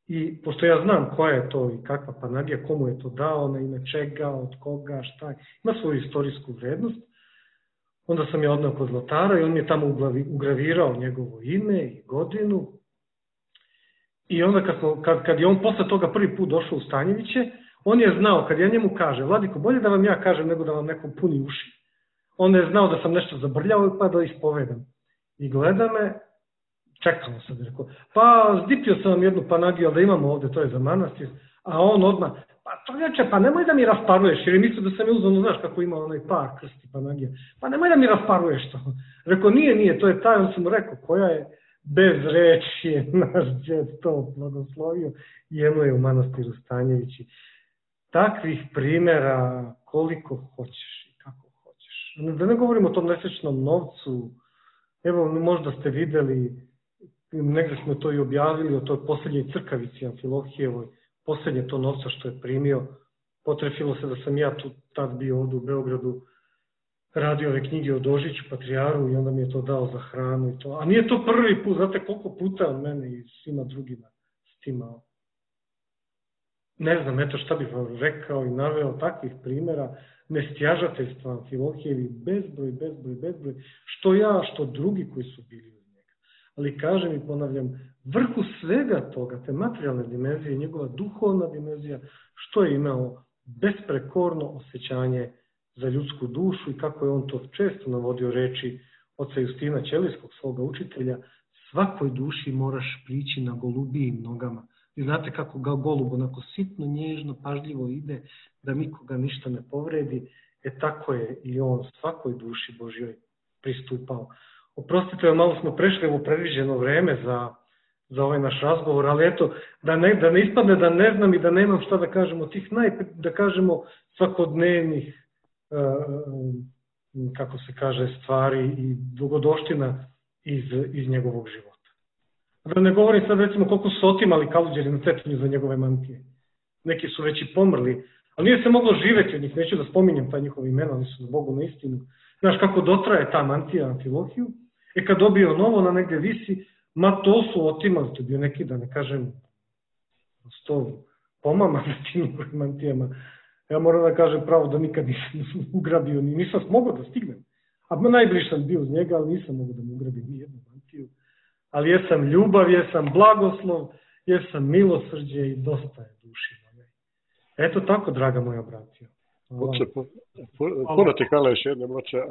i pošto ja znam koja je to i kakva panagija, komu je to dao, na ime čega, od koga, šta je, ima svoju istorijsku vrednost, Onda sam ja odneo kod zlatara i on mi je tamo ugravirao njegovo ime i godinu. I onda kad je on posle toga prvi put došao u Stanjeviće, on je znao, kad ja njemu kažem, Vladiko, bolje da vam ja kažem nego da vam neko puni uši. On je znao da sam nešto zabrljao pa da ispovedam. I gleda me, čekamo sad, rekao, pa zdipio sam vam jednu panagiju, ali da imamo ovde, to je za manastir, a on odmah, pa čovječe, pa nemoj da mi rasparuješ, jer je mislio da sam je uzmano, znaš kako ima onaj par krsti panagija, pa nemoj da mi rasparuješ to. Rekao, nije, to je taj, on sam mu rekao, koja je bez reči je naš džed to blagoslovio i jedno je u manastiru Stanjevići. Takvih primjera koliko hoćeš i kako hoćeš. Da ne govorimo o tom nesrećnom novcu, evo možda ste videli, negdje smo to i objavili o toj posljednjoj crkavici Amfilohijevoj, posljednje to novca što je primio, potrefilo se da sam ja tu tad bio ovdje u Beogradu, radio ove knjige o Dožiću, Patrijaru i onda mi je to dao za hranu i to. A nije to prvi put, znate koliko puta on mene i svima drugima stimao. Ne znam, eto šta bih vam rekao i naveo takvih primjera nestjažateljstva Amfilohijevi, bezbroj, što ja, što drugi koji su bili uz njega. Ali kažem i ponavljam, vrhu svega toga, te materijalne dimenzije, njegova duhovna dimenzija, što je imao besprekorno osjećanje za ljudsku dušu i kako je on to često navodio reči oca Justina Ćelijskog, svoga učitelja, svakoj duši moraš prići na golubijim nogama. Vi znate kako ga golub onako sitno, nježno, pažljivo ide, da nikoga ništa ne povredi. Tako je i on svakoj duši Božjoj pristupao. Oprostite, malo smo prešli u predviđeno vreme za ovaj naš razgovor, ali eto, da ne ispadne da ne znam i da nemam šta da kažem od tih da kažemo svakodnevnih kako se kaže, stvari i dogodoština iz njegovog života. Da ne govorim sad recimo koliko su otimali kaluđeri na Cetinju za njegove mantije. Neki su već i pomrli, ali nije se moglo živeti od njih, neću da spominjem ta njihova imena, oni su za Bogu na istinu. Znaš kako dotraje ta mantija Amfilohiju, kad dobio novo, ona negdje visi, ma to su otimali, to je bio neki, da ne kažem, 100 pomama na tim njihovim mantijama. Ja moram da kažem pravo da nikad nisam ugrabio, nisam mogao da stignem. A najbliže sam bio uz njega, ali nisam mogao da mu ugrabim ni jednu mantiju. Ali jesam ljubav, jesam blagoslov, jesam milosrđe i dosta je duši moje. Eto tako, draga moja bratija. Puno ti hvala još jednom, oče.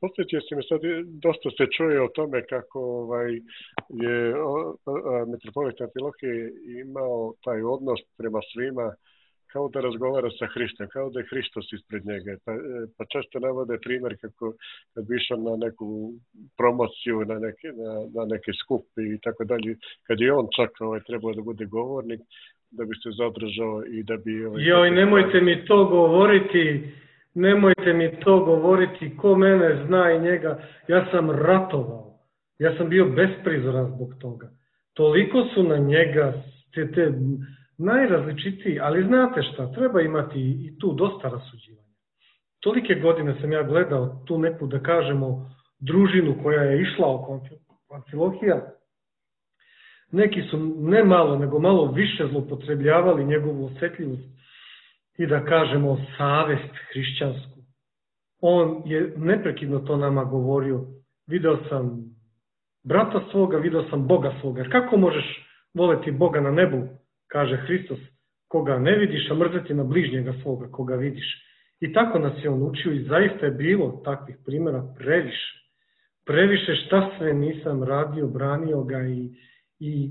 Posjećao si mi sad, dosta se čuje o tome kako je mitropolit Amfilohije imao taj odnos prema svima, kao da razgovara sa Hristom, kao da je Hristos ispred njega. Pa često navode primjer kako kad bi išao na neku promociju, na neki skup i tako dalje, kad je on čak trebao da bude govornik, da bi se zadržao i da bi... Joj, nemojte mi to govoriti, ko mene zna i njega, ja sam ratovao, ja sam bio besprizoran zbog toga. Toliko su na njega te najrazličitiji, ali znate šta, treba imati i tu dosta rasuđivanja. Tolike godine sam ja gledao tu neku, da kažemo, družinu koja je išla oko Amfilohija. Neki su ne malo, nego malo više zloupotrebljavali njegovu osjetljivost i da kažemo savest hrišćansku. On je neprekidno to nama govorio. Video sam brata svoga, video sam Boga svoga. Kako možeš voleti Boga na nebu, kaže Hristos, koga ne vidiš, a mrzeti na bližnjega svoga, koga vidiš. I tako nas je on učio i zaista je bilo takvih primjera previše. Previše šta sve nisam radio, branio ga i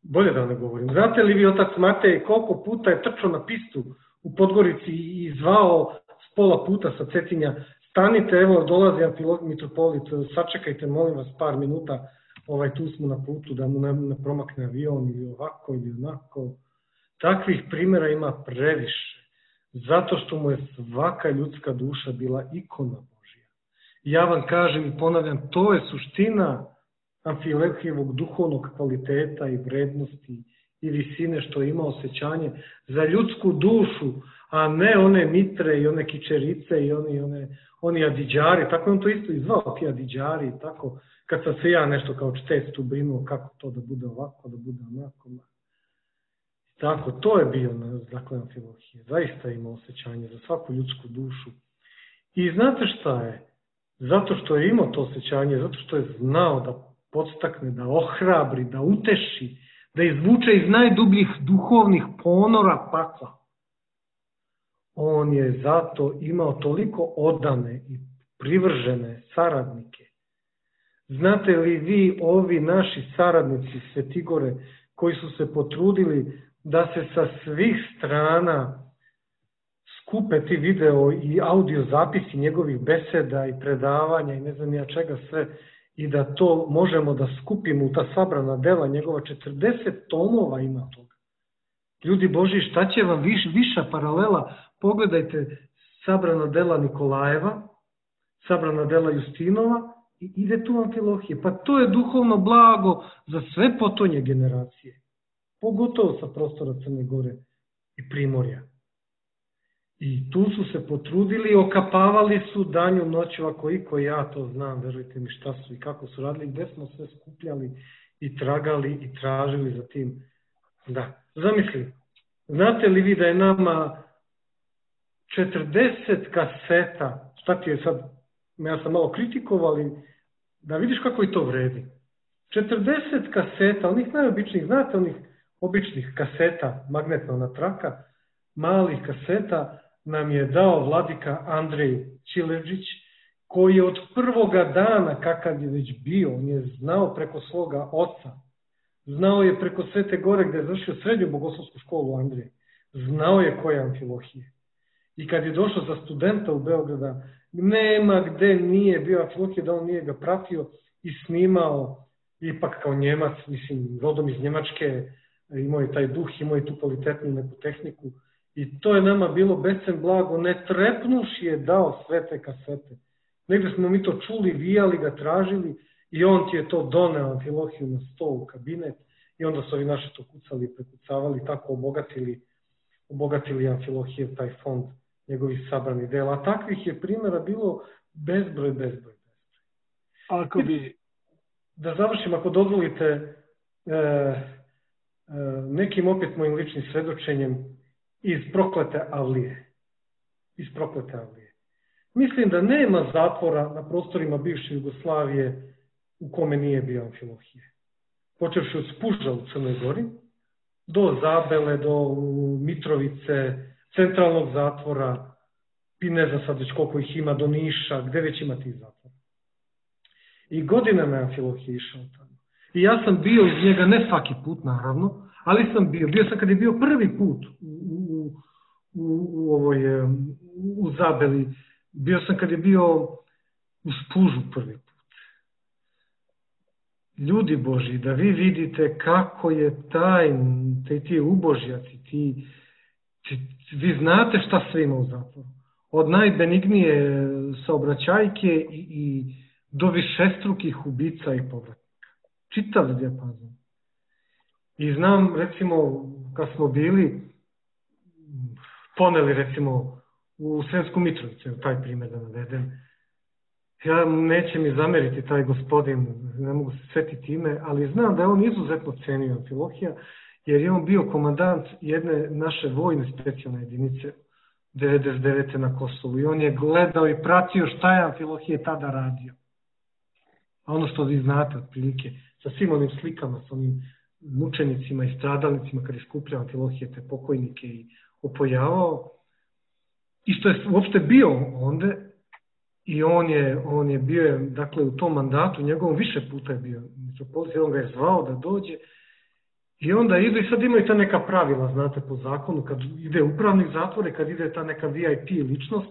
bolje da ne govorim. Znate li vi, otac Matej, koliko puta je trčao na pistu u Podgorici i zvao s pola puta sa Cetinja, stanite, evo dolazi mitropolit, sačekajte molim vas par minuta, tu smo na putu da mu ne promakne avion ili ovako ili onako. Takvih primjera ima previše, zato što mu je svaka ljudska duša bila ikona Božja. Ja vam kažem i ponavljam, to je suština Amfilohijevog duhovnog kvaliteta i vrednosti i visine što ima osjećanje za ljudsku dušu, a ne one mitre i one kičerice i oni adiđari, tako je on to isto i zvao, ti adiđari i tako, kad sam se ja nešto kao čtec tu brinuo kako to da bude ovako, da bude onako. Tako, to je bio dakle Amfilohije, zaista ima osjećanje za svaku ljudsku dušu I znate šta je? Zato što je imao to osjećanje, zato što je znao da podstakne, da ohrabri, da uteši, da izvuče iz najdubljih duhovnih ponora pakla. On je zato imao toliko odane i privržene saradnike. Znate li vi, ovi naši saradnici Svetigore, koji su se potrudili da se sa svih strana skupe ti video i audio zapisi njegovih beseda i predavanja i ne znam ja čega sve, i da to možemo da skupimo u ta sabrana dela njegova, 40 tomova ima toga. Ljudi Božji, šta će vam viša paralela? Pogledajte sabrana dela Nikolajeva, sabrana dela Justinova i ide tu Amfilohije. Pa to je duhovno blago za sve potonje generacije. Pogotovo sa prostora Crne Gore i Primorja. I tu su se potrudili, okapavali su danju noću, ako iko ja to znam, verujte mi šta su i kako su radili, gde smo sve skupljali i tragali i tražili za tim. Da, zamisli, znate li vi da je nama 40 kaseta, šta ti je sad, ja sam malo kritikovali, da vidiš kako i to vredi. 40 kaseta, onih najobičnijih, znate onih običnih kaseta, magnetna traka, malih kaseta, nam je dao vladika Andrej Čileđić, koji je od prvoga dana kakav je već bio, on je znao preko svoga oca, znao je preko Svete Gore gde je završio srednju bogoslovsku školu Andrej, znao je koja je Amfilohije. I kad je došao za studenta u Beograda, nema gde nije bio Amfilohije, da on nije ga pratio i snimao, ipak kao Njemac, mislim, rodom iz Njemačke, imao je taj duh, imao je tu kvalitetnu neku tehniku. I to je nama bilo bescen blago, ne trepnuši je dao sve te kasete. Negde smo mi to čuli, vijali ga, tražili i on ti je to doneo Amfilohiju na stol u kabinet i onda su ovi naši to kucali, prekucavali, tako obogatili Amfilohijev taj fond njegovih sabranih dela. A takvih je primjera bilo bezbroj. Ako bi... Da završim, ako dozvolite, nekim opet mojim ličnim svedočenjem iz proklete Avlije. Mislim da nema zatvora na prostorima bivše Jugoslavije u kome nije bio Amfilohije. Počevši od Spuža u Crnoj Gori, do Zabele, do Mitrovice, centralnog zatvora, i ne znam sad već koliko ih ima, do Niša, gde već ima tih zatvora. I godinama je Amfilohije išao tamo. I ja sam bio iz njega, ne svaki put naravno, ali sam bio sam kad je bio prvi put u Zabeli, bio sam kad je bio u Spužu prvi put. Ljudi Božji, da vi vidite kako je ti ubožjaci, vi znate šta sve ima u zatvoru. Od najbenignije saobraćajke i do višestrukih ubica i povratnika. Čitav dijapazon. I znam, recimo, kad smo bili, poneli, recimo, u Sremsku Mitrovicu, taj primjer da navedem, ja neće mi zameriti taj gospodin, ne mogu se setiti ime, ali znam da je on izuzetno cenio Amfilohija, jer je on bio komandant jedne naše vojne specijalne jedinice 99. na Kosovu i on je gledao i pratio šta je Amfilohije tada radio. A ono što vi znate otprilike, sa svim onim slikama, sa onim mučenicima i stradalnicima kad je skupljao Amfilohije te pokojnike i opojavao, i što je uopšte bio onda, i on je bio, dakle, u tom mandatu, njegovom više puta je bio mitropolit, on ga je zvao da dođe, i onda idu i sad imaju ta neka pravila, znate, po zakonu, kad ide upravnik zatvore, kad ide ta neka VIP ličnost,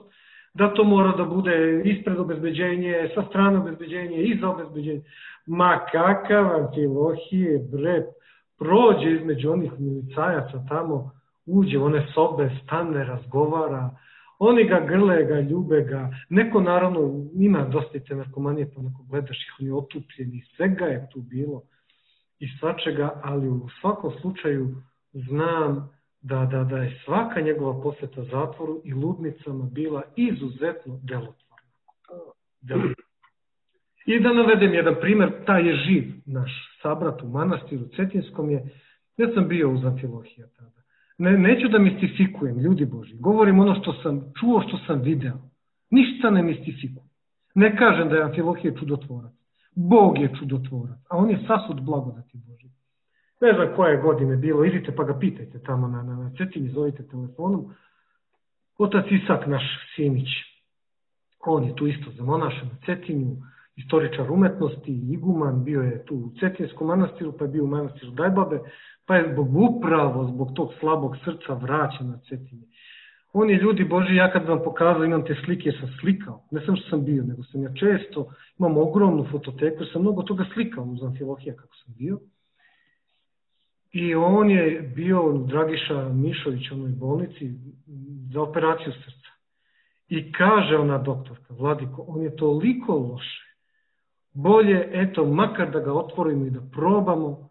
da to mora da bude ispred obezbeđenje, sa strane obezbeđenje, iza obezbeđenje. Ma kakav Amfilohije, bre, prođe između onih milicajaca tamo, uđe u one sobe, stane, razgovara, oni ga grle, ga ljube ga, neko naravno ima dosta te narkomanije, pa onako gledaš ih, oni otupljeni, svega je tu bilo i svačega, ali u svakom slučaju znam da je svaka njegova posjeta zatvoru i ludnicama bila izuzetno delotvorna. I da navedem jedan primjer, taj je živ, naš sabrat u manastiru Cetinskom je, ja sam bio uz Amfilohija tada. Neću da mistifikujem, ljudi Boži, govorim ono što sam čuo, što sam video. Ništa ne mistifikuju. Ne kažem da je Amfilohije čudotvorac. Bog je čudotvorac, a on je sasud blagodati Božje. Ne znam koje godine bilo, idite pa ga pitajte tamo na Cetinji, zovite telefonom. Otac Isak, naš Simić, on je tu isto zamonašen na Cetinju, istoričar umetnosti, iguman, bio je tu u Cetinskom manastiru, pa je bio u manastiru Dajbabe, pa je zbog tog slabog srca vraćen na Cetinje. On je, ljudi Boži, ja kad vam pokazao, imam te slike, sam slikao, ne samo što sam bio, nego sam ja često, imam ogromnu fototeku, jer sam mnogo toga slikao uz Amfilohija kako sam bio. I on je bio Dragiša Mišović u onoj bolnici za operaciju srca. I kaže ona doktorka, Vladiko, on je toliko loše. Bolje, eto, makar da ga otvorimo i da probamo,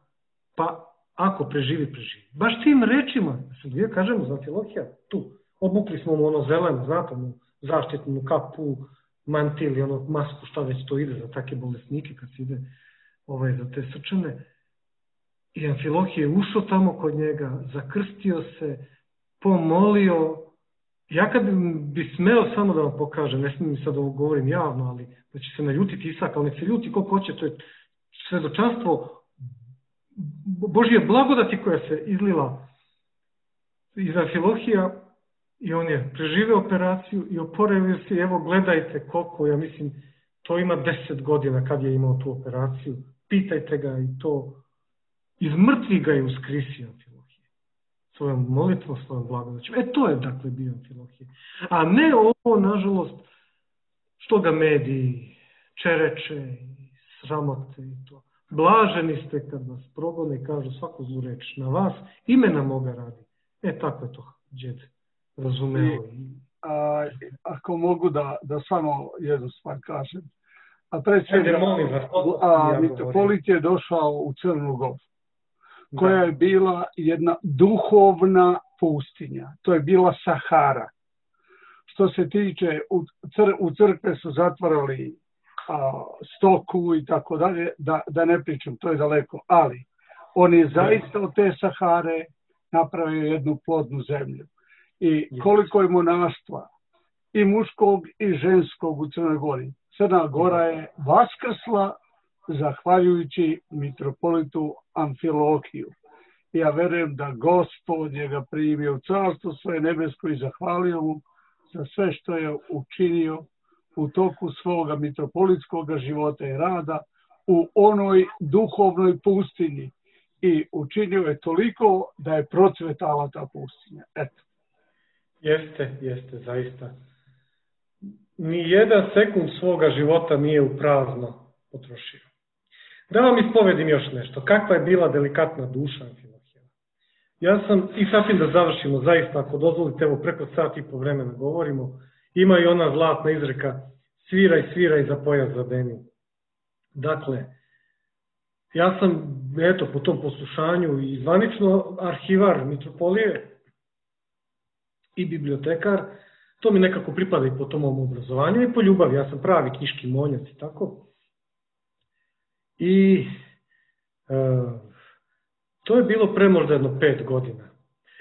pa ako preživi, preživi. Baš tim rečima, ja kažemo za Amfilohija, tu, obukli smo mu ono zeleno, znate, mu zaštitnu kapu, mantil i ono masku, šta već to ide za takve bolesnike kad se ide za te srčane. I Amfilohije je ušao tamo kod njega, zakrstio se, pomolio. Ja kad bi smeo samo da vam pokažem, ne smijem sad ovo govorim javno, ali da će se naljutiti Isak, ali nek se ljuti koliko hoće, to je svedočanstvo Božje blagodati koja se izlila iz Amfilohija i on je preživeo operaciju i oporavio se. Evo gledajte koliko, ja mislim, to ima 10 godina kad je imao tu operaciju. Pitajte ga i to. Iz mrtvih ga je uskrisio Amfilohije. Svojom molitvom, svojom blagodaćom. To je dakle bio Amfilohije. A ne ovo, nažalost, što ga mediji čereče i sramote i to. Blaženi ste kad vas progone i kažu svaku zlu reč na vas, imena moga radi. Tako je to džed razumeo. Ako mogu da samo jednu stvar kažem. Mitropolit je došao u Crnu Goru, koja je bila jedna duhovna pustinja. To je bila Sahara. Što se tiče, u crkve su zatvarali stoku i tako dalje, da ne pričam, to je daleko. Ali on je zaista od te Sahare napravio jednu plodnu zemlju. I koliko je monaštva, i muškog i ženskog u Crnoj Gori. Crna Gora je vaskrsla zahvaljujući mitropolitu Amfilohiju. Ja verujem da Gospod je ga primio u carstvo svoje nebesko i zahvalio mu za sve što je učinio u toku svoga mitropolitskog života i rada u onoj duhovnoj pustinji. I učinio je toliko da je procvetala ta pustinja. Eto. Jeste, zaista. Ni jedan sekund svoga života nije u prazno potrošio. Da vam ispovedim još nešto. Kakva je bila delikatna duša Amfilohija. Ja sam, i sasvim da završimo, zaista, ako dozvolite, evo preko sat i po vremena govorimo, ima i ona zlatna izreka, sviraj za pojas zadeni. Dakle, ja sam, po tom poslušanju i zvanično arhivar mitropolije i bibliotekar, to mi nekako pripada i po tom mom obrazovanju i po ljubavi. Ja sam pravi knjiški monjac i tako. I to je bilo pre možda jedno 5 godina.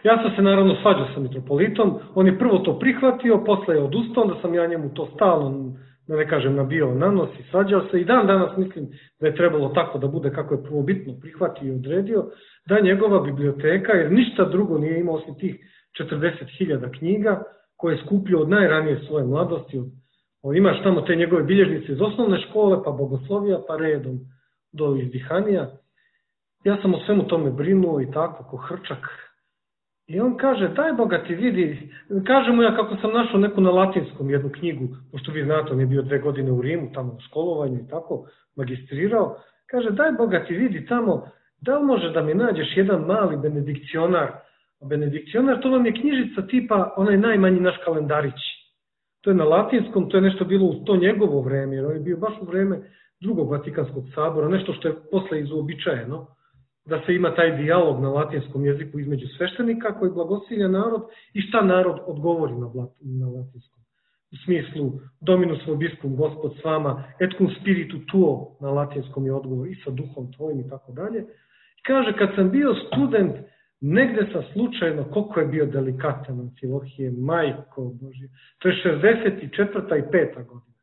Ja sam se naravno svađao sa mitropolitom, on je prvo to prihvatio, posle je odustao, onda sam ja njemu to stalno, da ne kažem, nabio na nos i svađao se. I dan danas mislim da je trebalo tako da bude kako je prvobitno prihvatio i odredio, da njegova biblioteka, jer ništa drugo nije imao osim tih 40.000 knjiga, koje je skupljio od najranije svoje mladosti. Imaš tamo te njegove bilježnice iz osnovne škole, pa bogoslovija, pa redom do izdihanija. Ja sam o svemu tome brinuo i tako, ko hrčak. I on kaže, daj Boga ti vidi, kaže mu ja kako sam našao neku na latinskom jednu knjigu, pošto vi znate, on je bio 2 godine u Rimu, tamo u školovanju i tako, magistrirao. Kaže, daj Boga ti vidi tamo, da li može da mi nađeš jedan mali benedikcionar. Benedikcionar, to vam je knjižica tipa onaj najmanji naš kalendarić. To je na latinskom, to je nešto bilo u to njegovo vreme, jer on je bio baš u vreme drugog Vatikanskog sabora, nešto što je posle izuobičajeno, da se ima taj dijalog na latinskom jeziku između sveštenika koji blagosilja narod i šta narod odgovori na latinskom. U smislu, Dominus vobiscum, Gospod s vama, et cum spiritu tuo, na latinskom je odgovor i sa duhom tvojim i tako dalje. I kaže, kad sam bio student negde sam slučajno, koliko je bio delikatan Amfilohije, majko Božje, to je 64. i 5. godina.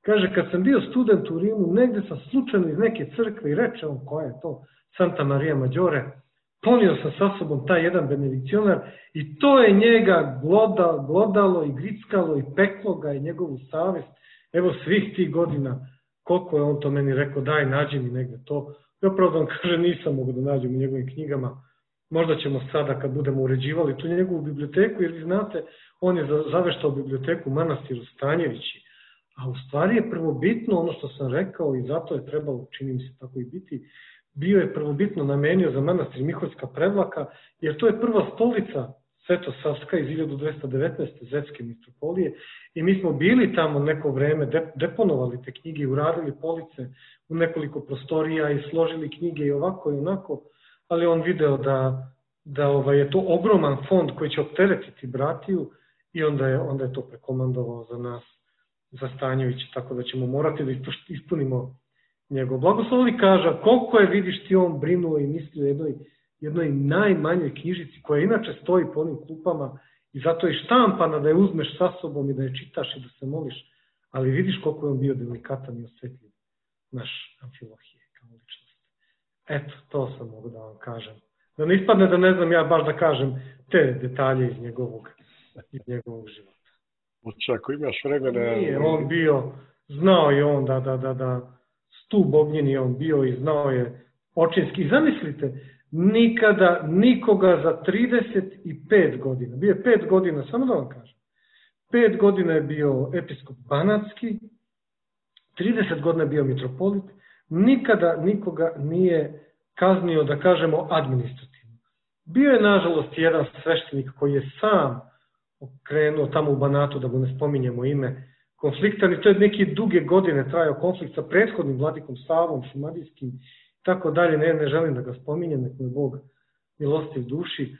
Kaže, kad sam bio student u Rimu, negde sam slučajno iz neke crkve i reče on, koja je to, Santa Maria Maggiore, ponio sam sa sobom taj jedan benedikcionar i to je njega glodalo i grickalo i peklo ga i njegovu savest. Evo svih tih godina, koliko je on to meni rekao, daj, nađi mi negde to. Ja pravo da vam kaže, nisam mogu da nađem u njegovim knjigama. Možda ćemo sada, kad budemo uređivali tu njegovu biblioteku, jer vi znate, on je zaveštao biblioteku manastiru Stanjevići. A u stvari je prvobitno ono što sam rekao i zato je trebalo, čini mi se tako i biti, bio je prvobitno namenio za manastir Miholjska Prevlaka, jer to je prva stolica Svetosavska iz 1219. Zetske mitropolije i mi smo bili tamo neko vreme, deponovali te knjige, uradili police u nekoliko prostorija i složili knjige i ovako i onako, ali on video da je to ogroman fond koji će opteretiti bratiju i onda je to prekomandovao za nas, za Stanjević, tako da ćemo morati da ispunimo njegov blagoslov. I kaže, koliko je, vidiš ti, on brinuo i mislio jednoj najmanjoj knjižici koja inače stoji po onim klupama i zato je štampana da je uzmeš sa sobom i da je čitaš i da se moliš, ali vidiš koliko je on bio delikatan i osjetljiv, naš Amfilohije kao ličnost. Eto, to sam mogu da vam kažem. Da ne ispadne da ne znam ja baš da kažem te detalje iz njegovog života. Ako imaš vremena... Nije on bio, znao je on da stup ognjeni je on bio i znao je očinski. I zamislite, nikada nikoga za 35 godina, bio je 5 godina, samo da vam kažem, 5 godina je bio episkop Banatski, 30 godina je bio mitropolit, nikada nikoga nije kaznio, da kažemo, administrativno. Bio je, nažalost, jedan sveštenik koji je sam okrenuo tamo u Banatu, da mu ne spominjemo ime, konfliktan, i to je neke duge godine trajao konflikt sa prethodnim vladikom Savom, Šumadijskim, tako dalje, ne želim da ga spominjem, nek me Bog milostiv duši,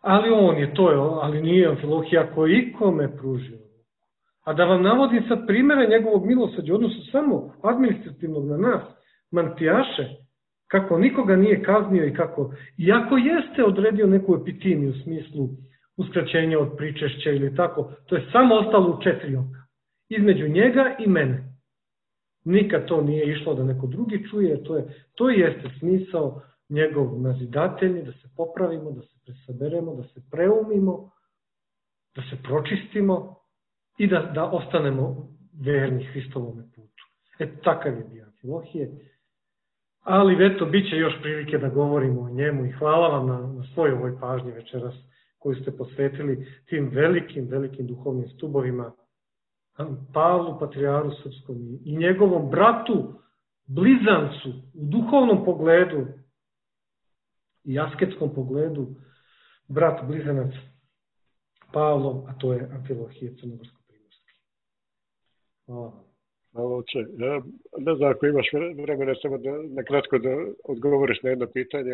ali on je to, ali nije Amfilohija koji ikome pružio. A da vam navodim sad primjere njegovog milosrđa, odnosno samo administrativnog na nas, mantijaše, kako nikoga nije kaznio i kako, iako jeste odredio neku epitimiju u smislu uskraćenja od pričešća ili tako, to je samo ostalo u 4 oka. Između njega i mene. Nikad to nije išlo da neko drugi čuje, to jeste smisao njegov nazidatelji, da se popravimo, da se presaberemo, da se preumimo, da se pročistimo i da ostanemo verni Hristovome putu. Takav je bio Amfilohije. Ali eto, bit će još prilike da govorimo o njemu i hvala vam na svoj ovoj pažnji večeras koju ste posvetili tim velikim duhovnim stubovima, Pavlu, patrijaru srpskom i njegovom bratu, blizancu, u duhovnom pogledu i asketskom pogledu, brat blizanac Pavlov, a to je Amfilohije Crnogorsko-Primorski. Hvala vam. Ja ne znam ako imaš vremena samo na kratko da odgovoriš na jedno pitanje.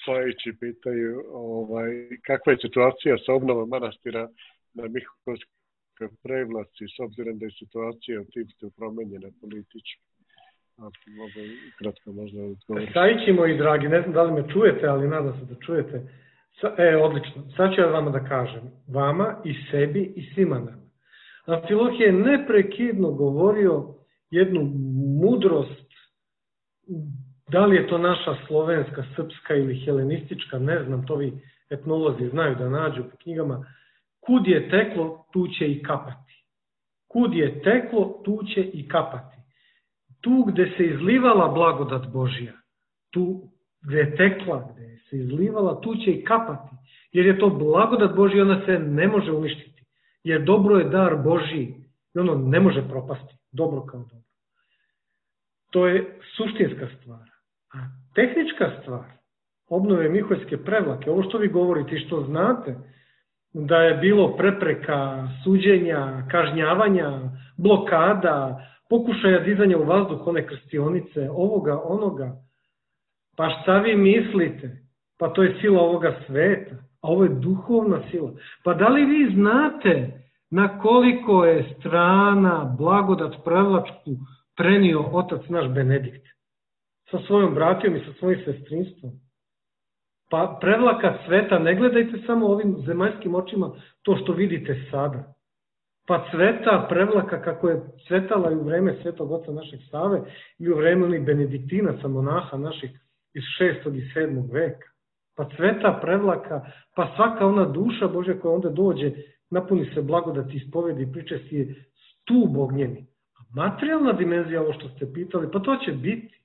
Slavići pitaju kakva je situacija sa obnovom manastira na Miholjskoj Prevlaci, s obzirom da je situacija u Tipstu promenjena politički. Mogu kratko možda odgovoriti. Stavići moji dragi, ne znam da li me čujete, ali nadam se da čujete. Odlično. Sad ću ja vama da kažem. Vama i sebi i svima nama. Amfilohije je neprekidno govorio jednu mudrost, da li je to naša slovenska, srpska ili helenistička, ne znam, to vi etnolozi znaju da nađu po knjigama. Kud je teklo, tu će i kapati. Kud je teklo, tu će i kapati. Tu gde se izlivala blagodat Božja, tu gde je tekla, gde se izlivala, tu će i kapati. Jer je to blagodat Božja, ona se ne može uništiti. Jer dobro je dar Božji i ono ne može propasti. Dobro kao dobro. To je suštinska stvar. A tehnička stvar, obnove Miholjske Prevlake, ovo što vi govorite i što znate, da je bilo prepreka, suđenja, kažnjavanja, blokada, pokušaja dizanja u vazduh one krstionice, ovoga, onoga. Pa šta vi mislite? Pa to je sila ovoga sveta, a ovo je duhovna sila. Pa da li vi znate na koliko je strana blagodat prevlačku prenio otac naš Benedikt? Sa svojom bratijom i sa svojim sestrinstvom. Pa prevlaka cveta, ne gledajte samo ovim zemaljskim očima to što vidite sada. Pa cveta prevlaka kako je cvetala i u vreme Svetog oca našeg Save i u vreme onih benediktinaca, monaha naših iz 6. i 7. veka. Pa cveta prevlaka, pa svaka ona duša Božja koja onda dođe, napuni se blagodati, ispovedi i priče si je stub ognjeni. A materijalna dimenzija, ovo što ste pitali, pa to će biti.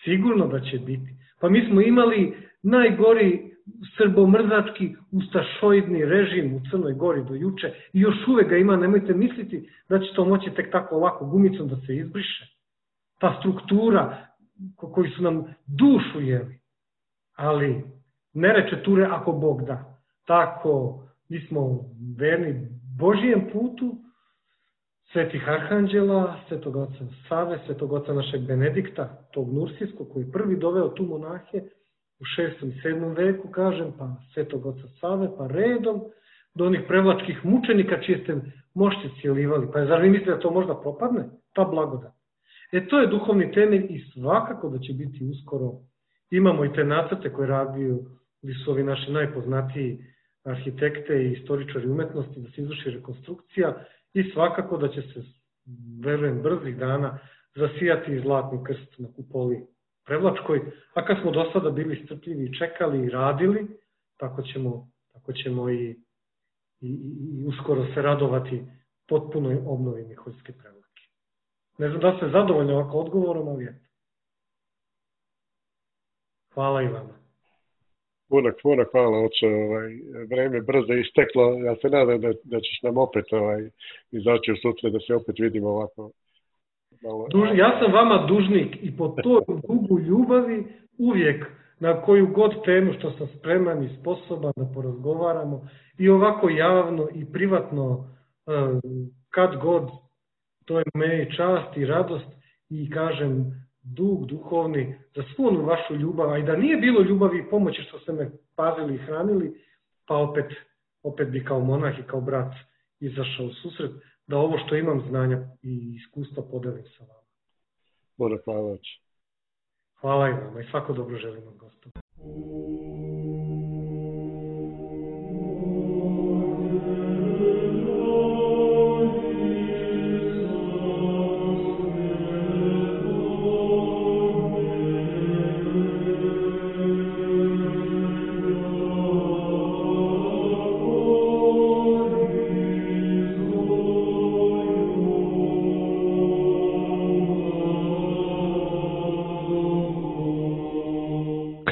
Sigurno da će biti. Pa mi smo imali najgori srbomrzački ustašoidni režim u Crnoj Gori do juče i još uvek ga ima, nemojte misliti da će to moći tek tako lako gumicom da se izbriše. Ta struktura koji su nam dušu jeli. Ali ne reče ture ako Bog da. Tako, mi smo verni Božijem putu, svetih arhanđela, svetog oca Save, svetog oca našeg Benedikta, tog Nursijskog koji prvi doveo tu monahe u 6. i 7. veku, kažem, pa svetog oca Save, pa redom do onih prevlačkih mučenika čije ste mošće cijelivali. Pa zar vi mislite da to možda propadne? Ta blagodat. To je duhovni temelj i svakako da će biti uskoro. Imamo i te nacrte koje radiju su ovi naši najpoznatiji arhitekte i istoričari umetnosti da se izvrši rekonstrukcija i svakako da će se, verujem, brzih dana zasijati zlatni krst na kupoli prevlačkoj, a kad smo do sada bili strpljivi i čekali i radili, tako ćemo i uskoro se radovati potpunoj obnovi Miholjske prevlake. Ne znam da ste zadovoljni ovako odgovorom, ali eto. Hvala i vama. Puno hvala, oče. Vreme brzo isteklo. Ja se nadam da ćeš nam opet izaći u sutra, da se opet vidimo ovako. Ja sam vama dužnik i po toj dugu ljubavi uvijek na koju god temu što sam spreman i sposoban da porazgovaramo i ovako javno i privatno kad god, to je meni čast i radost i kažem dug duhovni za svu onu vašu ljubav, a i da nije bilo ljubavi i pomoći što ste me pazili i hranili, pa opet bi kao monah i kao brat izašao u susret, da ovo što imam znanja i iskustva podelim sa vama. Puno hvala. Hvala i vama i svako dobro želimo, Gospod.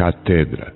Katedra.